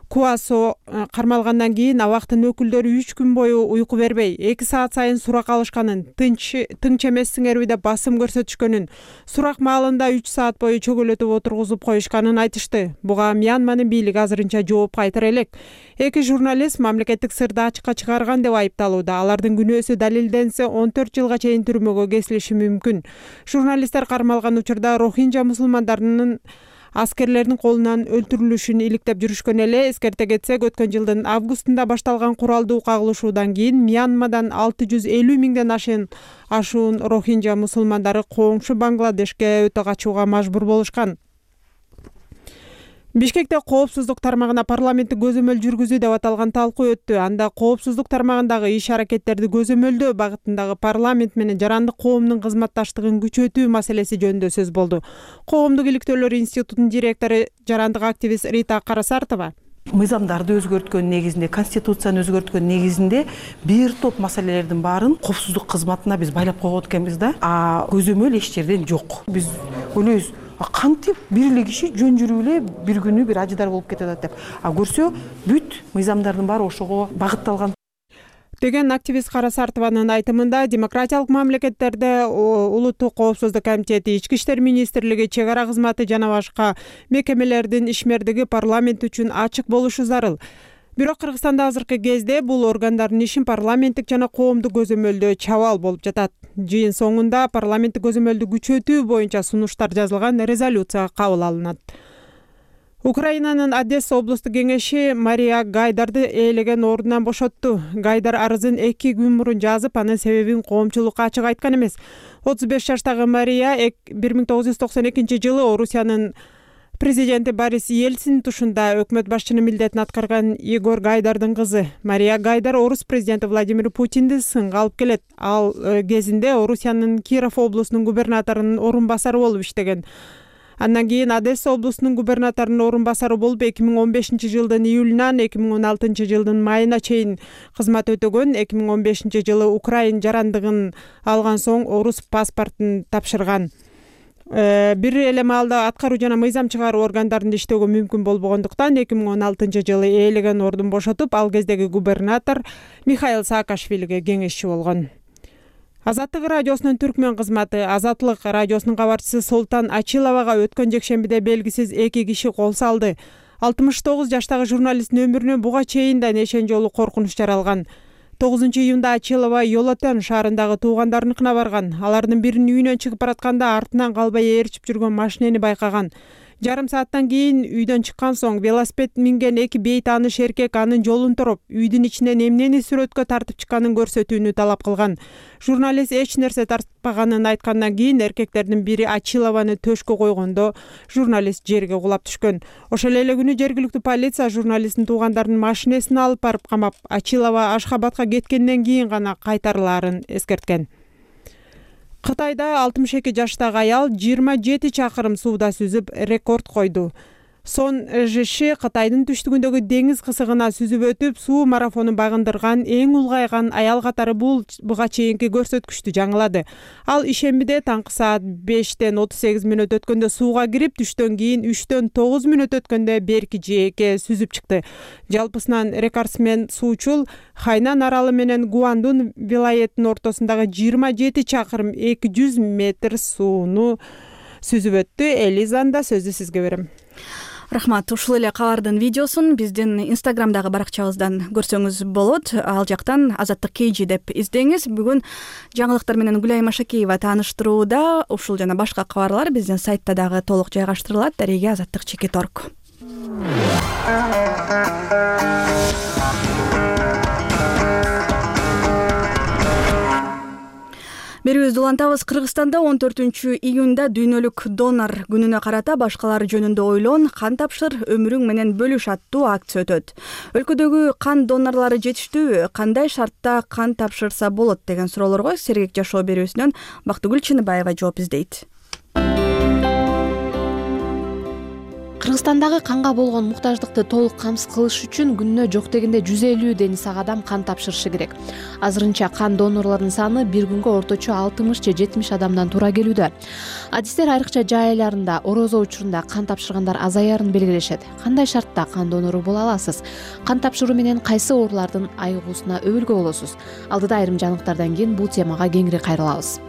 S2: Куасо кармалгандан кийин абактын өкүлдөрү 3 күн бою уйку бербей, 2 саат сайын сурак алышканын, тынч эмессиңерби деп басым көрсөтүшкөнүн, сурак маалында 3 саат бою чөгөлөтүп отургузуп коюшканын айтышты. Буга Мьянманын бийлиги азырынча жооп кайтара элек. 2 журналист мамлекеттик сырды ачыкка чыгарган деп айыпталууда. Алардын күнөөсү далилденсе 14 жылга чейин түрмөгө кесилиши мүмкүн. Журналисттер кармалган учурда Рохинджа мусулмандарынын аскерлердин колунан өлтүрүлүшүн иликтеп жүрүшкөн эле. Эскерте кетсек, өткөн жылдын августунда башталган куралдуу кагылышуудан кийин Мьянмадан 650 миңден ашуун Рохинджа мусулмандары коңшу Бангладешке өтө качууга мажбур болушкан. Бишкекте коопсуздук тармагына парламенттик көзөмөл жүргүзүү деп аталган талкуу өттү. Анда коопсуздук тармагындагы иш-аракеттерди көзөмөлдөө багытындагы парламент менен жарандык коомдун кызматташтыгын күчөтүү маселеси жөнүндө сөз болду. Коомдук иликтөөлөр институтунун директору, жарандык активист Рита Карасартова
S8: мыйзамдарды өзгөрткөн негизинде, конституцияны өзгөрткөн негизинде бир топ маселелердин баарын коопсуздук кызматына биз байлап койгон экенбиз да. Көзөмөл эч жерден жок. Биз ойлойбуз, кантип бир эле киши жөн жүрүп эле бир күнү бир ажыдар болуп кетет деп. Көрсө, бүт мыйзамдардын баары ошого багытталган
S2: деген активист Карасартованын айтымында, демократиялык мамлекеттерде Улуттук коопсуздук комитети, Ички иштер министрлиги, чек ара кызматы жана башка мекемелердин ишмердиги парламент үчүн ачык болушу зарыл. Бирок Кыргызстанда азыркы кезде бул органдардын ишин парламенттик жана коомдук көзөмөлдөө чабал болуп жатат. Жыйын соңунда парламенттик көзөмөлдү күчөтүү боюнча сунуштар жазылган резолюция кабыл алынат. Украинанын Одесса облустук кеңеши Мария Гайдарды ээлеген ордунан бошотту. Гайдар арызын 2 күн мурун жазып, анын себебин коомчулукка ачык айткан эмес. 35 жаштагы Мария 1992 жылы Орусиянын президенти Борис Ельцин тушунда өкмөт башчынын милдетин аткарган Егор Гайдардын кызы. Мария Гайдар Орус президенти Владимир Путинди сынга алып келет. Ал кезинде Орусиянын Киров облусунун губернаторунун орун басары болуп иштеген. Андан кийин Одесса облусунун губернаторунун орун басары болуп 2015 жылдын июлунан 2016 жылдын майына чейин кызмат өтөгөн. 2015 жылы Украин жарандыгын алган соң орус паспортун тапшырган. Бир эле маалда аткаруу жана мыйзам чыгаруу органдарында иштөөгө мүмкүн болбогондуктан 2016 жылы ээлеген ордун бошотуп, ал кездеги губернатор Михаил Саакашвилиге кеңешчи болгон. Азаттык радиосунун түркмөн кызматы Азаттык радиосунун кабарчысы Солтан Ачиловага өткөн жекшембиде белгисиз 2 киши кол салды. 69 жаштагы журналисттин өмүрүнө буга чейин да нешен жолу коркунуч жаралган. 9 июнда Ачилова Йолотен шаарындагы туугандарыныкына барган. Алардын биринин үйүнөн чыгып баратканда артынан калбай ээрчип жүргөн машинени байкаган. Жарым сааттан кийин үйдөн чыккан соң велосипед минген 2 бейт тааныш эркек анын жолун тороп, үйдүн ичинен эмнени сүрөткө тартып чыкканын көрсөтүүнү талап кылган. Журналист эч нерсе тартпаганын айткандан кийин эркектердин бири Ачилованы төшкө койгондо журналист жерге кулап түшкөн. Ошол эле күнү жергиликтүү полиция журналисттин туугандарынын машинесин алып барып камап, Ачилова Ашхабадка кеткенден кийин гана кайтарылаарын эскерткен. Кытайда 62 жаштагы аял 27 чакырым сууда сүзүп рекорд койду. Сон Жиши Кытайдын түштүгүндөгү деңиз кысыгына сүзүп өтүп, суу марафонун багындырган эң улгайган аял катары буга чейинки көрсөткүчтү жаңылады. Ал ишембиде таңкы саат 5-тен 38 мүнөт өткөндө сууга кирип, түштөн кийин 3-төн 9 мүнөт өткөндө берки жээкке сүзүп чыкты. Жалпысынан рекордсмен суучул Хайнан аралы менен Гуандун вилаятынын ортосундагы 27 чакырым 200 метр сууну сүзүп өттү. Элизанда сөздү сизге берем.
S1: Рахмат. Ушул эле кабардын видеосун биздин Инстаграмдагы баракчабыздан көрсөңүз болот. Ал жактан Азаттык KG деп издеңиз. Бүгүн жаңылыктар менен Гүлайым Ашакеева тааныштырууда. Ушул жана башка кабарлар биздин сайтта дагы толук жайгаштырылат. Дареге Азаттык.org. Берүүбүздү улантабыз. Кыргызстанда 14 июнда дүйнөлүк донор күнүнө карата башкалар жөнүндө ойлон, кан тапшыр, өмүрүң менен бөлүш аттуу акция өтөт. Өлкөдөгү кан донорлору жетиштүүбү? Кандай шартта кан тапшырса болот деген суроолорго Сергек жашоо берүүсүнөн Бактыгүл Чыныбаева жооп издейт.
S9: Кыргызстандагы канга болгон муктаждыкты толук камсыз кылыш үчүн күнүнө жок дегенде 150 дени сак адам кан тапшырышы керек. Азырынча кан донорлордун саны бир күнгө орточо 60 же 70 адамдан туура келүүдө. Адистер айрыкча жай айларында, орозо учурунда кан тапшыргандар азаярын белгилешет. Кандай шартта кан донору боло аласыз? Кан тапшыруу менен кайсы оорулардын айыгуусуна өбүлгө болосуз? Алдыда айрым жаңылыктардан кийин бул темага кеңири кайрылабыз.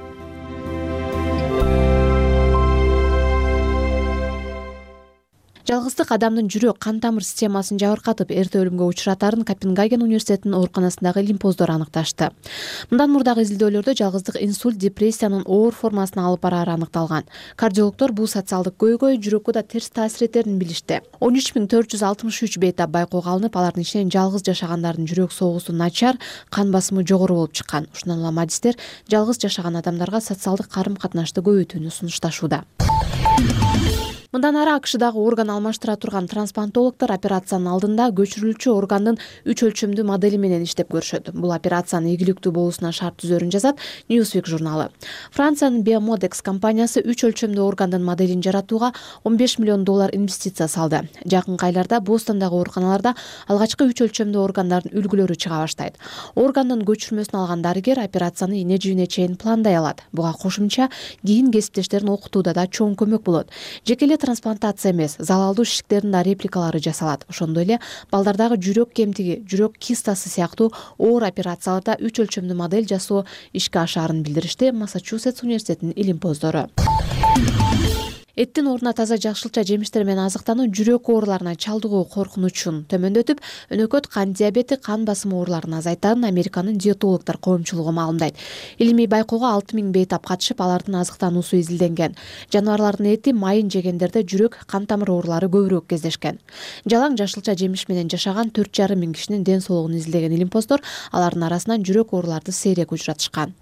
S9: Жалгыздык адамдын жүрөк кан тамыр системасын жабыркатып, эрте өлүмгө учуратарын Копенгаген университетинин ооруканасындагы лимпоздор аныкташты. Мындан мурдагы изилдөөлөрдө жалгыздык инсульт, депрессиянын оор формасына алып барары аныкталган. Кардиологдор бул социалдык көйгөй жүрөккө да терс таасир этерин билишти. 13463 бейтап байкоого алынып, алардын ичинен жалгыз жашагандардын жүрөк согуусу начар, кан басымы жогору болуп чыккан. Ушундан улам адистер жалгыз жашаган адамдарга социалдык карым-катнашты көбөйтүүнү сунушташууда. Мындан ары АКШдагы орган алмаштыра турган трансплантологдор операциянын алдында көчүрүлчү органдын 3 өлчөмдүү модели менен иштеп көрүшөт. Бул операциянын ийгиликтүү болуусуна шарт түзөрүн жазат Newsweek журналы. Франциянын Biomodex компаниясы 3 өлчөмдүү органдын моделин жаратууга $15 миллион инвестиция салды. Жакынкы айларда Бостондагы ооруканаларда алгачкы 3 өлчөмдүү органдардын үлгүлөрү чыга баштайт. Органдын көчүрмөсүн алган дарыгер операцияны эне-жибине чейин пландай алат. Буга кошумча кийин кесиптештерин окутууда да чоң көмөк болот. Жеке трансплантация эмес, залалдуу шишиктердин да репликалары жасалат. Ошондой эле балдардагы жүрөк кемтиги, жүрөк кистасы сыяктуу оор операцияларда 3 өлчөмдүү модель жасоо ишке ашаарын билдиришти Массачусетс университетинин илимпоздору. Эттин ордуна таза жакшылча жемиштер менен азыктануу жүрөк ооруларына чалдыгуу коркунучун төмөндөтүп, өнөкөт кан диабети, кан басымы ооруларын азайтарын Американын диетологдор коомчулугу маалымдайт. Илимий байкоого 6000 бейтап катышып, алардын азыктануусу изилденген. Жаныбарлардын эти, майын жегендерде жүрөк, кан тамыр оорулары көбүрөөк кездешкен. Жалаң жакшылча жемиш менен жашаган 4,5 миң кишинин ден соолугун изилдеген илимпоздор алардын арасынан жүрөк ооруларды сейрек учуратышкан.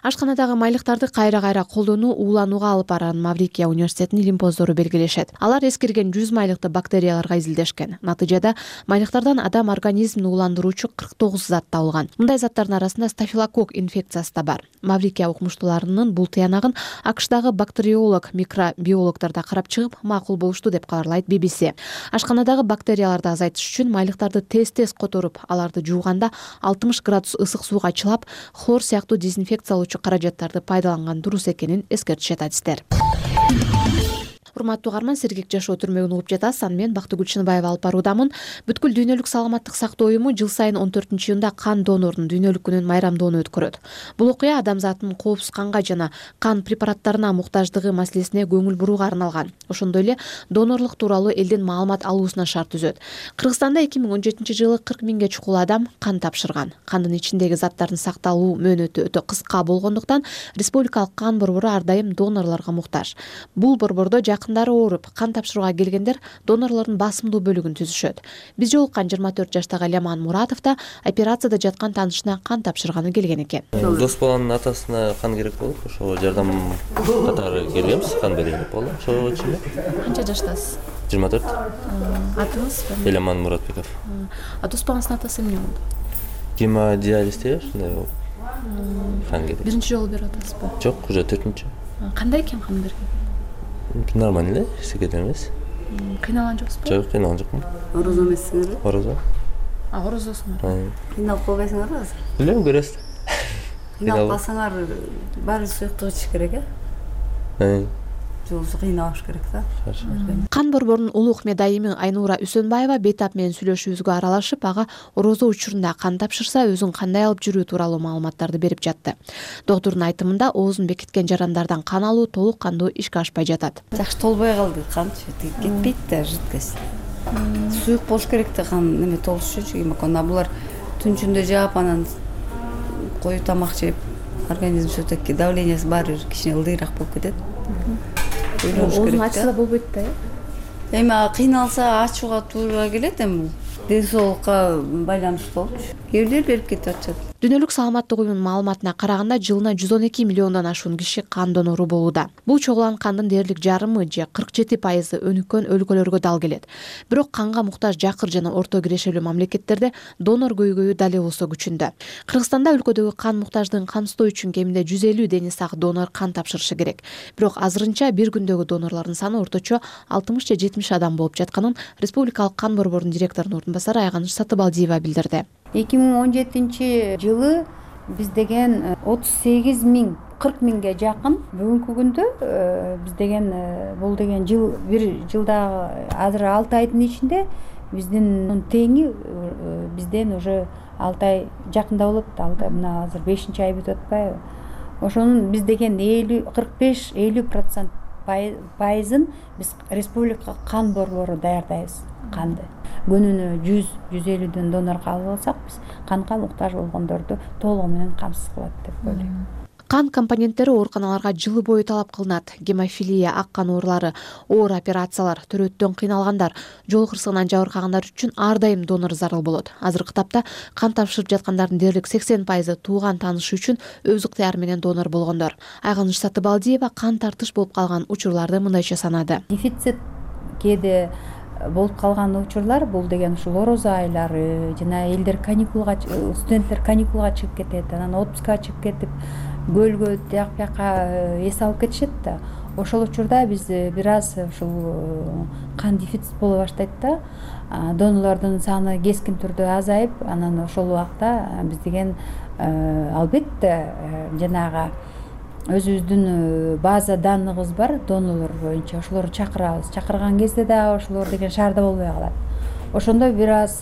S9: Ашканадагы майлыктарды кайра колдонуу ууланууга алып барарын Маврикия университетинин илимпоздору белгилешет. Алар эскирген 100 майлыкты бактерияларга изилдешкен. Натыйжада майлыктардан адам организмин ууландыруучу 49 зат табылган. Мындай заттардын арасында стафилококк инфекциясы да бар. Маврикия укмуштууларынын бул тыянагын АКШдагы бактериолог, микробиологдор да карап чыгып, макул болушту деп кабарлайт BBC. Ашканадагы бактерияларды азайтыш үчүн майлыктарды тез которуп, аларды жууганда 60 градус ысык сууга чылап, хлор сыяктуу дезинфекциялоочу каражаттарды пайдаланган дурус экенин эскертишет адистер. Урматтуу угарман, Сергек жашоо түрмөгүн угуп жатасыз. Аны мен Бактыгүл Чыныбаева алып баруудамын. Бүткүл дүйнөлүк саламаттык сактоо уюму жыл сайын 14-июнда кан донорунун дүйнөлүк күнүн майрамдоону өткөрөт. Бул окуя адамзаттын коопсуз канга жана кан препараттарына муктаждыгы маселесине көңүл бурууга арналган. Ошондой эле донорлук тууралуу элдин маалымат алуусуна шарт түзөт. Кыргызстанда 2017 жылы 40 миңге чукул адам кан тапшырган. Кандын ичиндеги заттардын сакталуу мөөнөтү өтө кыска болгондуктан республикалык кан борбору ар дайым донорлорго муктаж. Бул борбордо жакындары ооруп, кан тапшырууга келгендер донорлордун басымдуу бөлүгүн түзүшөт. Биз жолуккан 24 жаштагы Ляман Муратов да операцияда жаткан таанышына кан тапшырганы келген экен.
S10: Дос баланын атасына кан керек болуп, ошого жардам катары келгенбиз, кан берели деп болду. Ошого чейин.
S9: Канча жаштасыз?
S10: 24.
S9: Атыңыз?
S10: Ляман Муратбеков.
S9: А дос балаңыздын атасы эмне болду?
S10: Гемодиализде ушундай болуп. Кан керек.
S9: Биринчи жолу берип атасызбы?
S10: Жок, уже 4-чү.
S9: Кандай экен кан берген?
S10: Нормально эле, эсеге эмес.
S9: Кыйналган жоксузбу?
S10: Жок, кыйналган жокмун.
S11: Орозо эмессиңерби?
S10: Орозо.
S9: Орозосуңар.
S11: Кыйналып калбайсыңарбы азыр?
S10: Билем, көрөсүз.
S11: Кыйналып калсаңар баары суюктук ичиш керек,
S10: э?
S11: Жолсу кыйнабаш керек да.
S9: Кан борборунун улук медайымы Айнура Үсөнбаева бейтап менен сүйлөшүүбүзгө аралашып, ага орозо учурунда кан тапшырса өзүн кандай алып жүрүү тууралуу маалыматтарды берип жатты. Доктурдун айтымында оозун бекиткен жарандардан кан алуу толук кандуу ишке ашпай жатат.
S11: Жакшы толбой калды, кан кетпейт да жидкость. Суюк болуш керек да кан неме толуш үчүн. Булар түн ичинде жаап анан коюу тамак жеп, организм все-таки давлениясы баары бир кичине ылдыйраак болуп кетет.
S9: Оозун ачса болбойт да, э?
S11: Эми кыйналса ачууга туура келет, эми ден соолукка байланыштуу болчу. Кээ бирлер берип кетип атышат.
S9: Дүйнөлүк саламаттык уюмунун маалыматына караганда жылына 112 миллиондон ашуун киши кан донору болууда. Бул чогулган кандын дээрлик жарымы же 47% өнүккөн өлкөлөргө дал келет. Бирок канга муктаж жакыр жана орто кирешелүү мамлекеттерде донор көйгөйү дал болсо күчүндө. Кыргызстанда өлкөдөгү кан муктаждыгын камсыздоо үчүн кеминде 150 дени сак донор кан тапшырышы керек. Бирок азырынча бир күндөгү донорлордун саны орточо 60 же 70 адам болуп жатканын республикалык кан борборунун директорунун ордунбасары Айганыч Сатыбалдиева билдирди.
S12: 2017 жылы биз деген 38 миң, 40 миңге жакын. Бүгүнкү күндө биз деген бул деген жыл, бир жылдагы азыр 6 айдын ичинде биздин теңи бизден уже 6 ай жакында болот. Мына азыр 5-чи ай бүтүп атпайбы? Ошонун биз деген 45-50% пайызын биз республика кан борбору даярдайбыз канды. Күнүнө 100-150 донор кабыл алсак, биз канга муктаж болгондорду толугу менен камсыз кылат деп ойлойм.
S9: Кан компоненттери ооруканаларга жылы бою талап кылынат. Гемофилия, ак кан оорулары, оор операциялар, төрөттөн кыйналгандар, жол кырсыгынан жабыркагандар үчүн ар дайым донор зарыл болот. Азыркы тапта кан тапшырып жаткандардын дээрлик 80% тууган таанышы үчүн өз ыктыяры менен донор болгондор. Айганыч Сатыбалдиева кан тартыш болуп калган учурларды мындайча санады.
S12: Дефицит кээде болуп калган учурлар бул деген ушул орозо айлары, жана элдер каникулга, студенттер каникулга чыгып кетет, анан отпускка чыгып кетип, көлгө тияк бияка эс алып кетишет да. Ошол учурда биз бир аз ушул кан дефицит боло баштайт да. Донорлордун саны кескин түрдө азайып, анан ошол убакта биз деген албетте жанагы өзүбүздүн база данныгыбыз бар донорлор боюнча, ошолорду чакырабыз. Чакырган кезде да ошолор деген шаарда болбой калат. Ошондо бир аз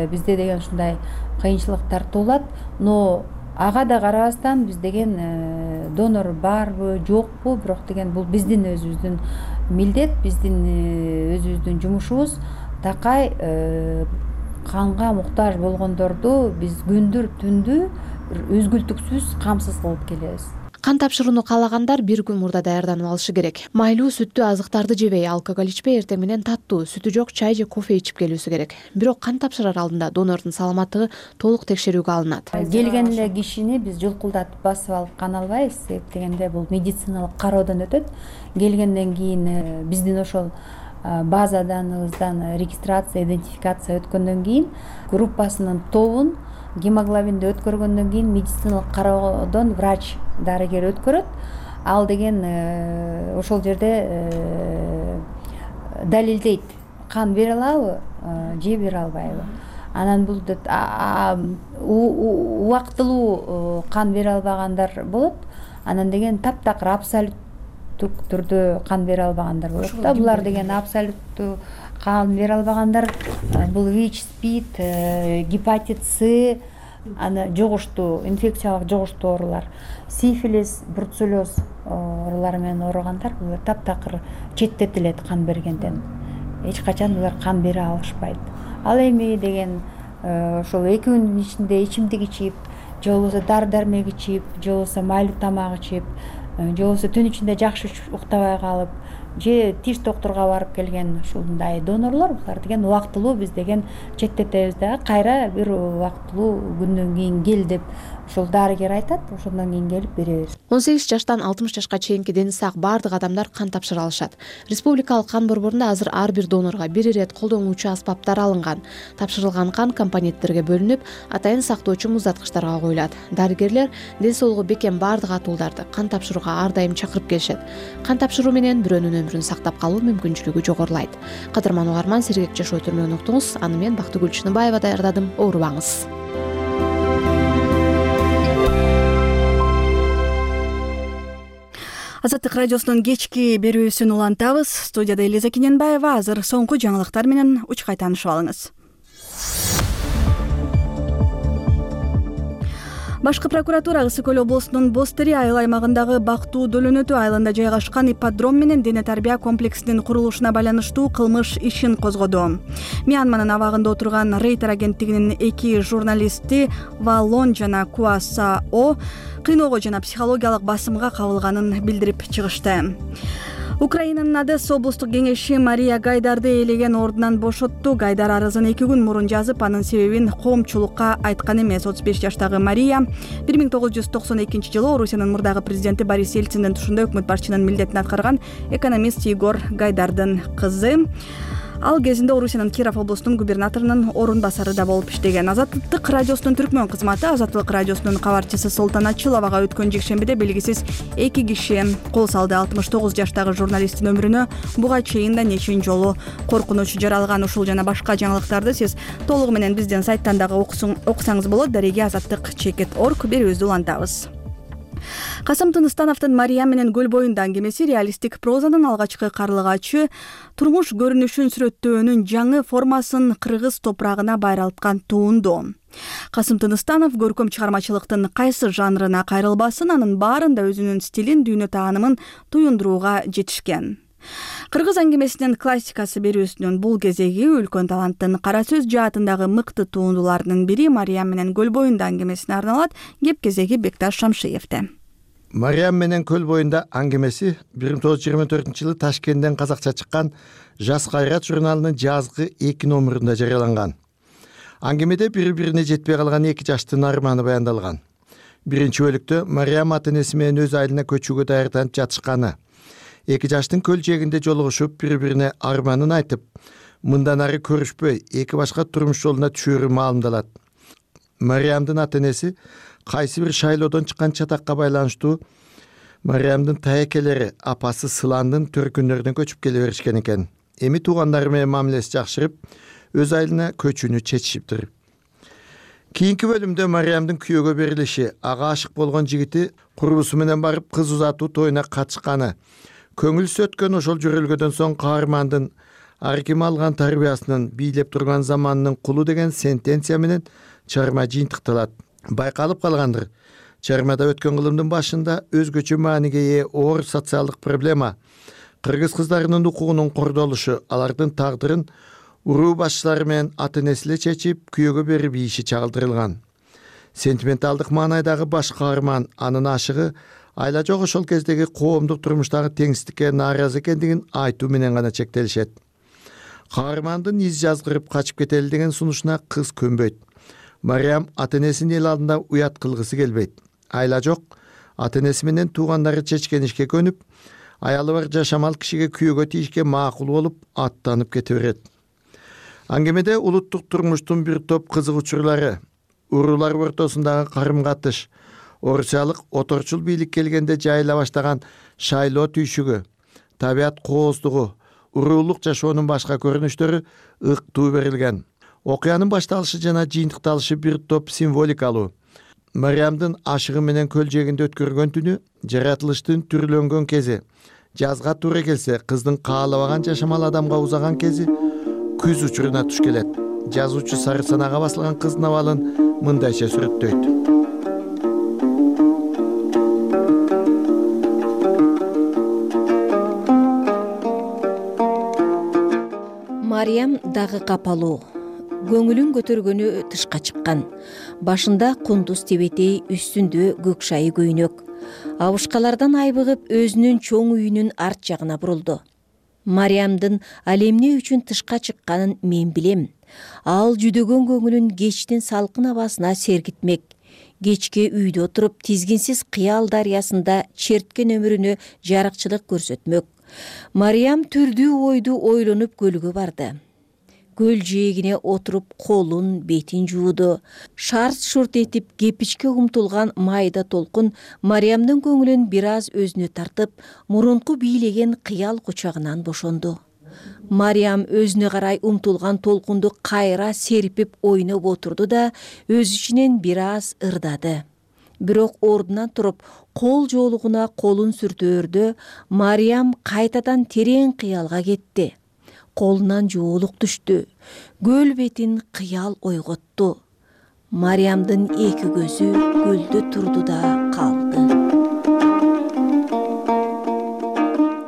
S12: бизде деген ушундай кыйынчылыктар туулат, но ага да карабастан биз деген донор барбы, жокпу, бирок деген бул биздин өзүбүздүн милдет, биздин өзүбүздүн жумушубуз. Такай канга муктаж болгондорду биз күндүр түндү үзгүлтүксүз камсыз кылып келебиз.
S9: Кан тапшырууну каалагандар бир күн мурда даярданып алышы керек. Майлуу сүттүү азыктарды жебей, алкоголь ичпей, эртең менен таттуу, сүтү жок чай же кофе ичип келүүсү керек. Бирок кан тапшырар алдында донордун саламаттыгы толук текшерүүгө алынат.
S12: Келген эле кишини биз жулкулдатып басып алып кан албайбыз, себеп дегенде бул медициналык кароодон өтөт. Келгенден кийин биздин ошол базаданыбыздан регистрация, идентификация өткөндөн кийин группасынын тобун гемоглобинди өткөргөндөн кийин медициналык кароодон врач, дарыгер өткөрөт. Ал деген ошол жерде далилдейт, кан бере алабы же бере албайбы. Анан бул убактылуу кан бере албагандар болот. Анан деген таптакыр абсолюттук түрдө кан бере албагандар болот да. Булар деген абсолюттуу кан бере албагандар бул ВИЧ, СПИД, гепатит С, аны жугуштуу, инфекциялык жугуштуу оорулар, сифилис, бруцеллез оорулары менен ооругандар булар таптакыр четтетилет кан бергенден. Эч качан булар кан бере алышпайт. Ал эми деген ошол 2 күндүн ичинде ичимдик ичип, же болбосо дары-дармек ичип, же болбосо майлуу тамак ичип, же болбосо түн ичинде жакшы уктабай калып, же тиш доктурга барып келген ушундай донорлор, булар деген убактылуу биз деген четтетебиз да, кайра бир убактылуу күндөн кийин кел деп ошол дарыгер айтат, ошондон кийин келип беребиз.
S9: 18 жаштан 60 жашка чейинки дени сак бардык адамдар кан тапшыра алышат. Республикалык кан борборунда азыр ар бир донорго бир ирет колдонуучу аспаптар алынган. Тапшырылган кан компоненттерге бөлүнүп, атайын сактоочу муздаткычтарга коюлат. Дарыгерлер ден соолугу бекем бардык атууларды кан тапшырууга ар дайым чакырып келишет. Кан тапшыруу менен бирөөнүн өмүрүн сактап калуу мүмкүнчүлүгү жогорулайт. Кадырман угарман, Сергек Жашоо түрмөгүн уктуңуз. Аны мен Бактыгүл Чыныбаева даярдадым. Оорубаңыз.
S1: Азаттык радиосунун кечки берүүсүн улантабыз. Студияда Элиза Кененбаева. Азыр соңку жаңылыктар менен учкай таанышып алыңыз. Башкы прокуратура Ысык Көл облусунун Бостери айыл аймагындагы Бактуу Дөлөнөтү айылында жайгашкан ипподром менен дене тарбия комплексинин курулушуна байланыштуу кылмыш ишин козгоду. Мьянманын абагында отурган Рейтер агенттигинин 2 журналисти Валон жана Куаса О кыйноого жана психологиялык басымга кабылганын билдирип чыгышты. Украинанын Одесса облустук кеңеши Мария Гайдарды элеген ордунан бошотту. Гайдар арызын 2 күн мурун жазып, анын себебин коомчулукка айткан эмес. 35 жаштагы Мария 1992-жылы Орусиянын мурдагы президенти Борис Ельциндин тушунда өкмөт башчынын милдетин аткарган экономист Егор Гайдардын кызы. Ал кезинде Орусиянын Киров облусунун губернаторунун орун басары да болуп иштеген. Азаттык радиосунун түркмөн кызматы Азаттык радиосунун кабарчысы Солтан Ачыловага өткөн жекшембиде белгисиз 2 киши кол салды. 69 жаштагы журналисттин өмүрүнө буга чейин да нечен жолу коркунуч жаралган. Ушул жана башка жаңылыктарды сиз толугу менен биздин сайттан дагы окусаңыз болот. Дареге Азаттык.org берүүбүздү улантабыз. Касым Тыныстановдун Мария менен көл боюнда аңгемеси реалистик прозанын алгачкы карлыгачы турмуш көрүнүшүн сүрөттөөнүн жаңы формасын кыргыз топурагына байралткан туунду. Касым Тыныстанов көркөм чыгармачылыктын кайсы жанрына кайрылбасын, анын баарында өзүнүн стилин, дүйнө таанымын туюндурууга жетишкен. Кыргыз аңгемесинин классикасы берүүсүнүн бул кезеги үлкөн таланттын кара сөз жаатындагы мыкты туундуларынын бири Мариям менен көл боюнда аңгемесине арналат. Кеп кезеги Бекташ Шамшиевде.
S13: Мариям менен көл боюнда аңгемеси 1924-жылы Ташкенттен казакча чыккан Жас кайрат журналынын жазгы 2 номерунда жарыяланган. Аңгемеде бири-бирине жетпей калган 2 жаштын арманы баяндалган. Биринчи бөлүктө Мариям ата-энеси менен өз айылына көчүүгө даярданып жатышканы, 2 жаштын көл жээгинде жолугушуп бири-бирине арманын айтып, мындан ары көрүшпөй 2 башка турмуш жолуна түшөрү маалымдалат. Мариямдын ата-энеси кайсы бир шайлоодон чыккан чатакка байланыштуу Мариямдын таекелери апасы Сыландын төркүннөрүнөн көчүп келе беришкен экен. Эми туугандары менен мамилеси жакшырып, өз айылына көчүүнү чечишиптир. Кийинки бөлүмдө Мариямдын күйөөгө берилиши, ага ашык болгон жигити курбусу менен барып кыз узатуу тоюна катышканы, көңүлсү өткөн ошол жөрөлгөдөн соң каармандын ар ким алган тарбиясынын бийлеп турган заманынын кулу деген сентенция менен чыгарма жыйынтыкталат. Байкалып калгандыр. Чыгармада өткөн кылымдын башында өзгөчө мааниге ээ оор социалдык проблема, кыргыз кыздарынын укугунун кордолушу, алардын тагдырын уруу башчылары менен ата-энеси чечип, күйөөгө берип ийиши чагылдырылган. Сентименталдык маанайдагы баш каарман, анын ашыгы Айла жок ошол кездеги коомдук турмуштагы теңсиздикке нааразы экендигин айтуу менен гана чектелишет. Каармандын из жазгырып качып кетели деген сунушуна кыз көнбөйт. Мариям ата-энесин эл алдында уят кылгысы келбейт. Айла жок ата-энеси менен туугандары чечкенишке көнүп, аялы бар жашамал кишиге күйөөгө тийишке макул болуп аттанып кете берет. Аңгемеде улуттук турмуштун бир топ кызык учурлары, уруулар ортосундагы карым-катыш, орусиялык оторчул бийлик келгенде жайыла баштаган шайлоо түйшүгү, табият кооздугу, уруулук жашоонун башка көрүнүштөрү ыктуу берилген. Окуянын башталышы жана жыйынтыкталышы бир топ символикалуу. Мариямдын ашыгы менен көл жээгинде өткөргөн түнү, жаратылыштын түрлөнгөн кези, жазга туура келсе кыздын каалабаган жашамал адамга узаган кези күз учуруна туш келет. Жазуучу сары санага басылган кыздын абалын мындайча сүрөттөйт.
S14: Мариям дагы капалуу. Көңүлүн көтөргөнү тышка чыккан. Башында кундуз тебетей, үстүндө көк шайы көйнөк. Абышкалардан айбыгып өзүнүн чоң үйүнүн арт жагына бурулду. Мариямдын ал эмне үчүн тышка чыкканын мен билем. Ал жүдөгөн көңүлүн кечтин салкын абасына сергитмек. Кечке үйдө отуруп тизгинсиз кыял дарыясында черткен өмүрүнө жарыкчылык көрсөтмөк. Мариям түрдүү ойду ойлонуп көлгө барды. Көл жээгине отуруп колун, бетин жууду. Шарт-шурт этип кепичке умтулган майда толкун Мариямдын көңүлүн бир аз өзүнө тартып, мурунку бийлеген кыял кучагынан бошонду. Мариям өзүнө карай умтулган толкунду кайра серпип ойноп отурду да өз ичинен бир аз ырдады. Бирок ордунан туруп, кол жоолугуна колун сүртөөрдө Мариям кайтадан терең кыялга кетти. Колунан жоолук түштү. Көл бетин кыял ойготту. Мариямдын эки көзү көлдө турду да калды.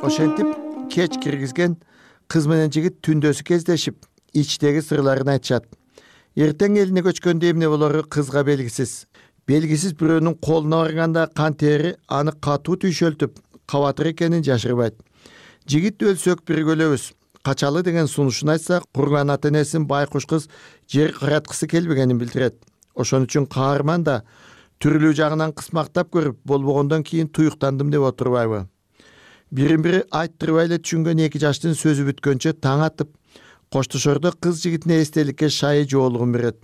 S13: Ошентип кеч киргизген кыз менен жигит түндөсү кездешип, ичтеги сырларын айтышат. Эртең элине көчкөндө эмне болору кызга белгисиз. Белгисиз бирөөнүн колуна барганда кан тери аны катуу түйшөлтүп, кабатыр экенин жашырбайт. Жигит өлсөк бирге өлөбүз. Качалы деген сунушун айтса, курган ата-энесин байкуш кыз жер караткысы келбегенин билдирет. Ошон үчүн каарман да түрлүү жагынан кысмактап көрүп, болбогондон кийин туюктандым деп отурбайбы. Бирин-бири айттырбай эле түшүнгөн эки жаштын сөзү бүткөнчө таң атып, коштошордо кыз жигитине эстеликке шайы жоолугун берет.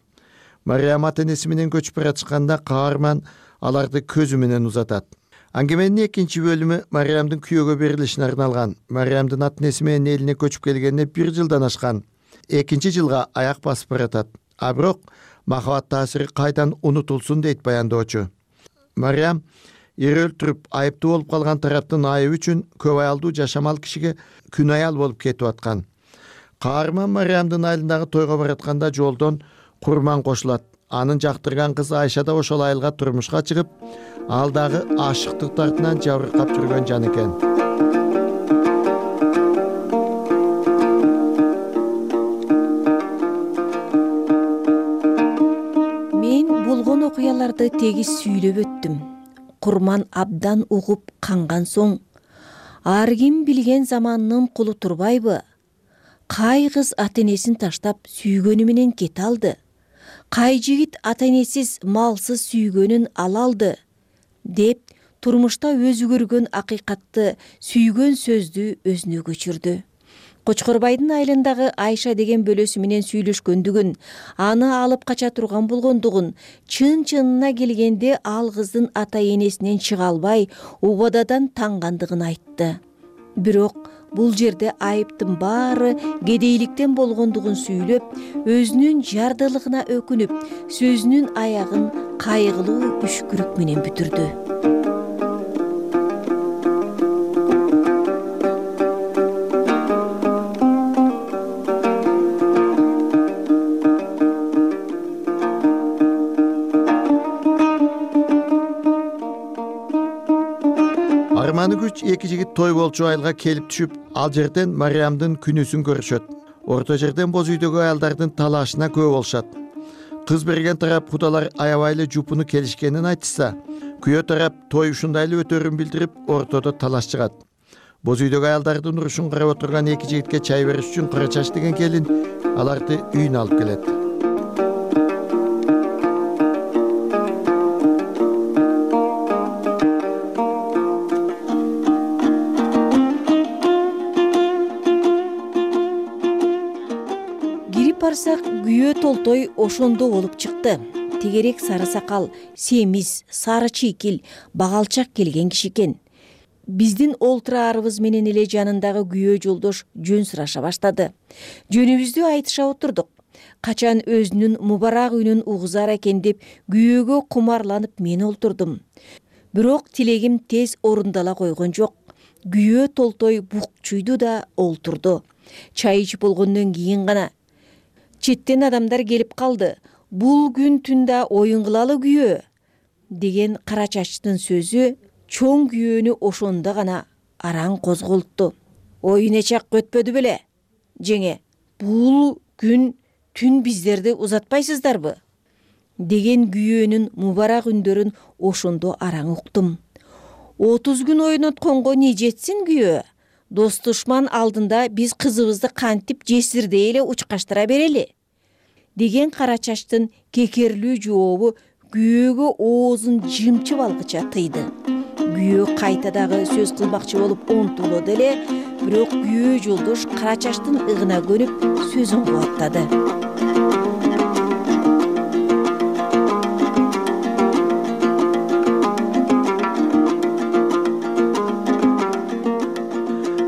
S13: Мариям ата-энеси менен көчүп баратышканда каарман аларды көзү менен узатат. Аңгеменин экинчи бөлүмү Мариямдын күйөөгө берилишине арналган. Мариямдын ата-энеси менен элине көчүп келгенине 1 жылдан ашкан. Экинчи жылга аяк басып баратат. А бирок махабат таасири кайдан унутулсун дейт баяндоочу. Мариям эр өлтүрүп, айыптуу болуп калган тараптын айыбы үчүн көп аялдуу жашамал кишиге күн аял болуп кетип аткан. Каарман Мариямдын айылындагы тойго баратканда жолдон курман кошулат. Анын жактырган кызы Айша да ошол айылга турмушка чыгып, ал дагы ашыктык тартынан жабыркап жүргөн жан экен.
S14: Мен болгон окуяларды тегиз сүйлөп өттүм. Курман абдан угуп канган соң, ар ким билген заманынын кулу турбайбы? Кай кыз ата-энесин таштап сүйгөнү менен кете алды? Кай жигит ата-энесиз, малсыз сүйгөнүн ала алды? Деп турмушта өзү көргөн акыйкатты, сүйгөн сөздү өзүнө көчүрдү. Кочкорбайдын айылындагы Айша деген бөлөсү менен сүйлөшкөндүгүн, аны алып кача турган болгондугун, чын-чынына келгенде ал кыздын ата-энесинен чыга албай, убададан тангандыгын айтты. Бирок бул жерде айыптын баары кедейликтен болгондугун сүйлөп, өзүнүн жардылыгына өкүнүп, сөзүнүн аягын кайгылуу үшкүрүк менен бүтүрдү.
S13: Арманы күч эки жигит той болчу айылга келип түшүп, ал жерден Мариямдын күнүсүн көрүшөт. Орто жерден боз үйдөгү аялдардын талашына күбө болушат. Кыз берген тарап кудалар аябай эле жупуну келишкенин айтышса, Күйөө тарап той ушундай эле өтөрүн билдирип, ортодо талаш чыгат. Боз үйдөгү аялдардын урушун карап отурган эки жигитке чай бериш үчүн Кара чач деген келин аларды үйүнө алып келет.
S14: Кирип барсак, күйөө толтой ошондо болуп чыкты. Тегерек сары сакал, семиз, сары чийкил, багалчак келген киши экен. Биздин олтураарыбыз менен эле жанындагы күйөө жолдош жөн сураша баштады. Жөнүбүздү айтыша отурдук. Качан өзүнүн мубарак үнүн угузар экен деп күйөөгө кумарланып мен олтурдум. Бирок тилегим тез орундала койгон жок. Күйөө толтой букчуйду да олтурду. Чай ичип болгондон кийин гана четтен адамдар келип калды. Бул күн түндө оюн кылалы күйөө деген Кара чачтын сөзү чоң күйөөнү ошондо гана араң козголтту. Оюн эчак өтпөдү беле? Жеңе, бул күн түн биздерди узатпайсыздарбы? Деген күйөөнүн мубарак үндөрүн ошондо араң уктум. 30 күн ойнотконго не жетсин күйөө? Дос душман алдында биз кызыбызды кантип жесирдей эле учкаштыра берели? Деген Кара чачтын кекерлүү жообу күйөөгө оозун жымчып алгыча тыйды. Күйөө кайта дагы сөз кылмакчы болуп онтулоду эле, бирок күйөө жолдош Кара чачтын ыгына көнүп сөзүн кубаттады.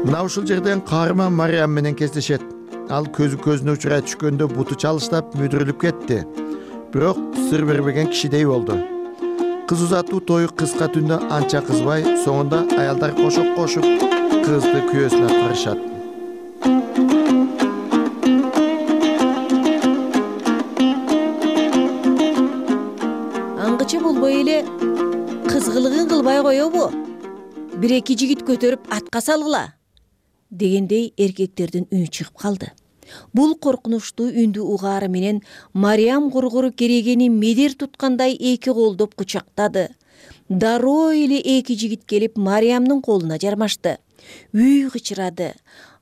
S13: Мына ушул жерден каарман Мариям менен кездешет. Ал көзү көзүнө учурай түшкөндө буту чалыштап мүдүрүлүп кетти. Бирок сыр бербеген кишидей болду. Кыз узатуу тою кыска түндө анча кызбай, соңунда аялдар кошоп кошуп кызды күйөөсүнө карышат.
S14: Аңгыча болбой эле кызгылыгын кылбай коебу? Бир-эки жигит көтөрүп атка салгыла дегендей эркектердин үнү чыгып калды. Бул коркунучтуу үндү угаары менен Мариям кургуру керегени медер туткандай эки колдоп кучактады. Дароо эле эки жигит келип Мариямдын колуна жармашты. Үй кычырады.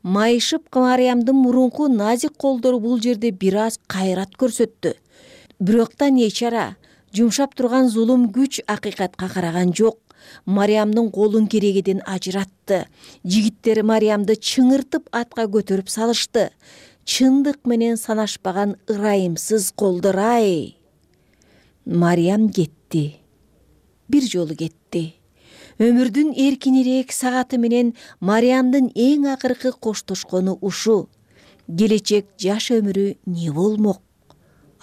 S14: Майышып Мариямдын мурунку назик колдору бул жерде бир аз кайрат көрсөттү. Бирок да не чара, жумшап турган зулум күч акыйкатка караган жок. Мариямдын колун керегеден ажыратты. Жигиттер Мариямды чыңыртып атка көтөрүп салышты. Чындык менен санашпаган ырайымсыз колдор-ай. Мариям кетти. Бир жолу кетти. Өмүрдүн эркинирээк сагаты менен Мариямдын эң акыркы коштошкону ушу. Келечек жаш өмүрү не болмок?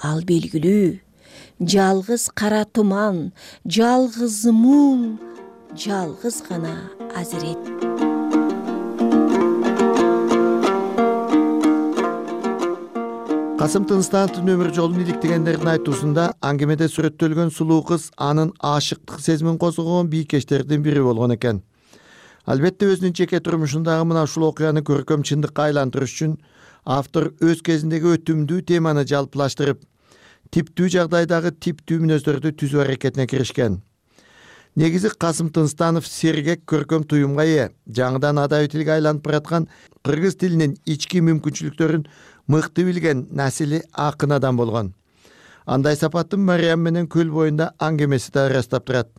S14: Ал белгилүү. Жалгыз кара туман, жалгыз муң, жалгыз гана азирет.
S13: Касым Тыныстановдун өмүр жолун иликтегендердин айтуусунда аңгемеде сүрөттөлгөн сулуу кыз анын аашыктык сезимин козгогон бийкечтердин бири болгон экен. Албетте өзүнүн жеке турмушундагы мына ушул окуяны көркөм чындыкка айлантырыш үчүн автор өз кезиндеги өтүмдүү теманы жалпылаштырып, типтүү жагдайдагы типтүү мүнөздөрдү түзүү аракетине киришкен. Негизи Касым Тынстанов сергек көркөм туюмга ээ, жаңыдан адабий тилге айланып бараткан кыргыз тилинин ички мүмкүнчүлүктөрүн мыкты билген насили акын адам болгон. Андай сапаттын Мариям менен көл боюнда аңгемеси да ырастап турат.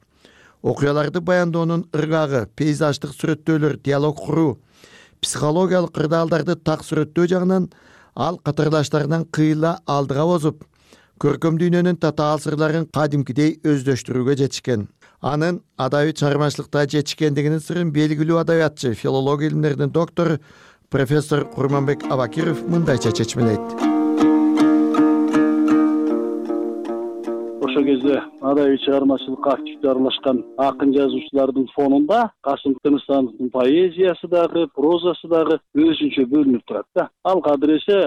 S13: Окуяларды баяндоонун ыргагы, пейзаждык сүрөттөөлөр, диалог куруу, психологиялык кырдаалдарды так сүрөттөө жагынан ал катарлаштарынан кыйла алдыга бозуп, көркөм дүйнөнүн татаал сырларын кадимкидей өздөштүрүүгө жетишкен. Анын адабий чыгармачылыкта жетишкендигинин сырын белгилүү адабиятчы, филология илимдеринин доктору профессор Курманбек Абакиров мындайча чечмелейт.
S15: Ошол кезде адабий чыгармачылыкка активдүү аралашкан акын жазуучулардын фонунда Касым Тыныстановдун поэзиясы дагы, прозасы дагы өзүнчө бөлүнүп турат да. Ал кадыр эсе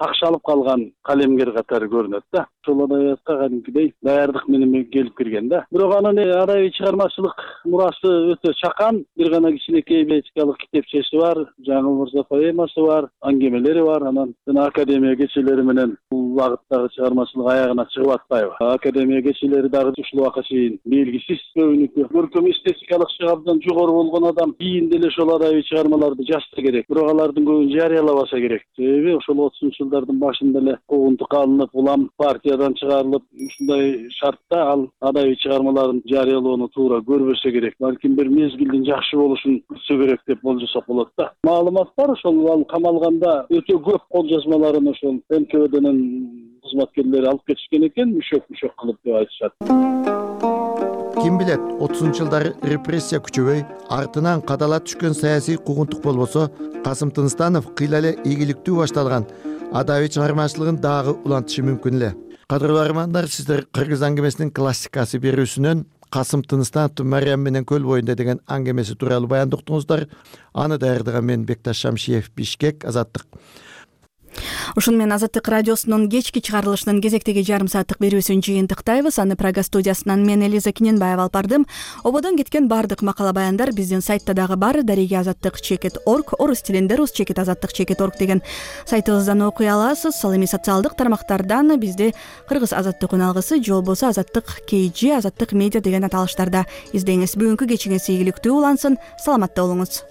S15: такшалып калган калемгер катары көрүнөт да. Ошол адабиятка кадимкидей даярдык менен келип кирген да. Бирок анын адабий чыгармачылык мурасы өтө чакан. Бир гана кичинекей поэтикалык китепчеси бар, Жаңыл мырза поэмасы бар, аңгемелери бар. Анан жана академия кечелери менен бул багыттагы чыгармачылык аягына чыгып атпайбы. Академия кечелери дагы ушул убакка чейин белгисиз. Көбүнүкү көркөм эстетикалык абдан жогору болгон адам кийин деле ошол адабий чыгармаларды жазса керек. Бирок алардын көбүн жарыялабаса керек. Себеби ошол 30-ж жылдардын башында эле куугунтукка алынып, улам партиядан чыгарылып, ушундай шартта ал адабий чыгармаларын жарыялоону туура көрбөсө керек. Балким бир мезгилдин жакшы болушун күтсө керек деп болжосок болот да. Маалымат бар, ошол ал камалганда өтө көп кол жазмаларын ошол НКВДнын кызматкерлери алып кетишкен экен, мүшөк кылып деп айтышат.
S13: Ким билет, 30-ж жылдары репрессия күчөбөй, артынан кадала түшкөн саясий куугунтук болбосо, Касым Тыныстанов кыйла эле ийгиликтүү башталган адабий чыгармачылыгын дагы улантышы мүмкүн эле. Кадырлуу армандар, сиздер Кыргыз аңгемесинин классикасы берүүсүнөн Касым Тыныстановдун Мариям менен көл боюнда деген аңгемеси тууралуу баяндоктуңуздар. Аны даярдаган мен Бекташ Шамшиев, Бишкек, Азаттык.
S1: Ушун менен Азаттык радиосунун кечки чыгарылышынын кезектеги жарым сааттык берүүсүн жыйынтыктайбыз. Аны Прага студиясынан мен Элиза Киненбаева алып бардым. Ободон кеткен бардык макала баяндар биздин сайтта дагы бар. Дареги-Азаттык.org, орус тилинде rus-azаттык.org деген сайтыбыздан окуй аласыз. Ал эми социалдык тармактардан бизди Кыргыз Азаттык үналгысы же болбосо Азаттык KG, Азаттык медиа деген аталыштарда издеңиз. Бүгүнкү кечиңиз ийгиликтүү улансын. Саламатта болуңуз.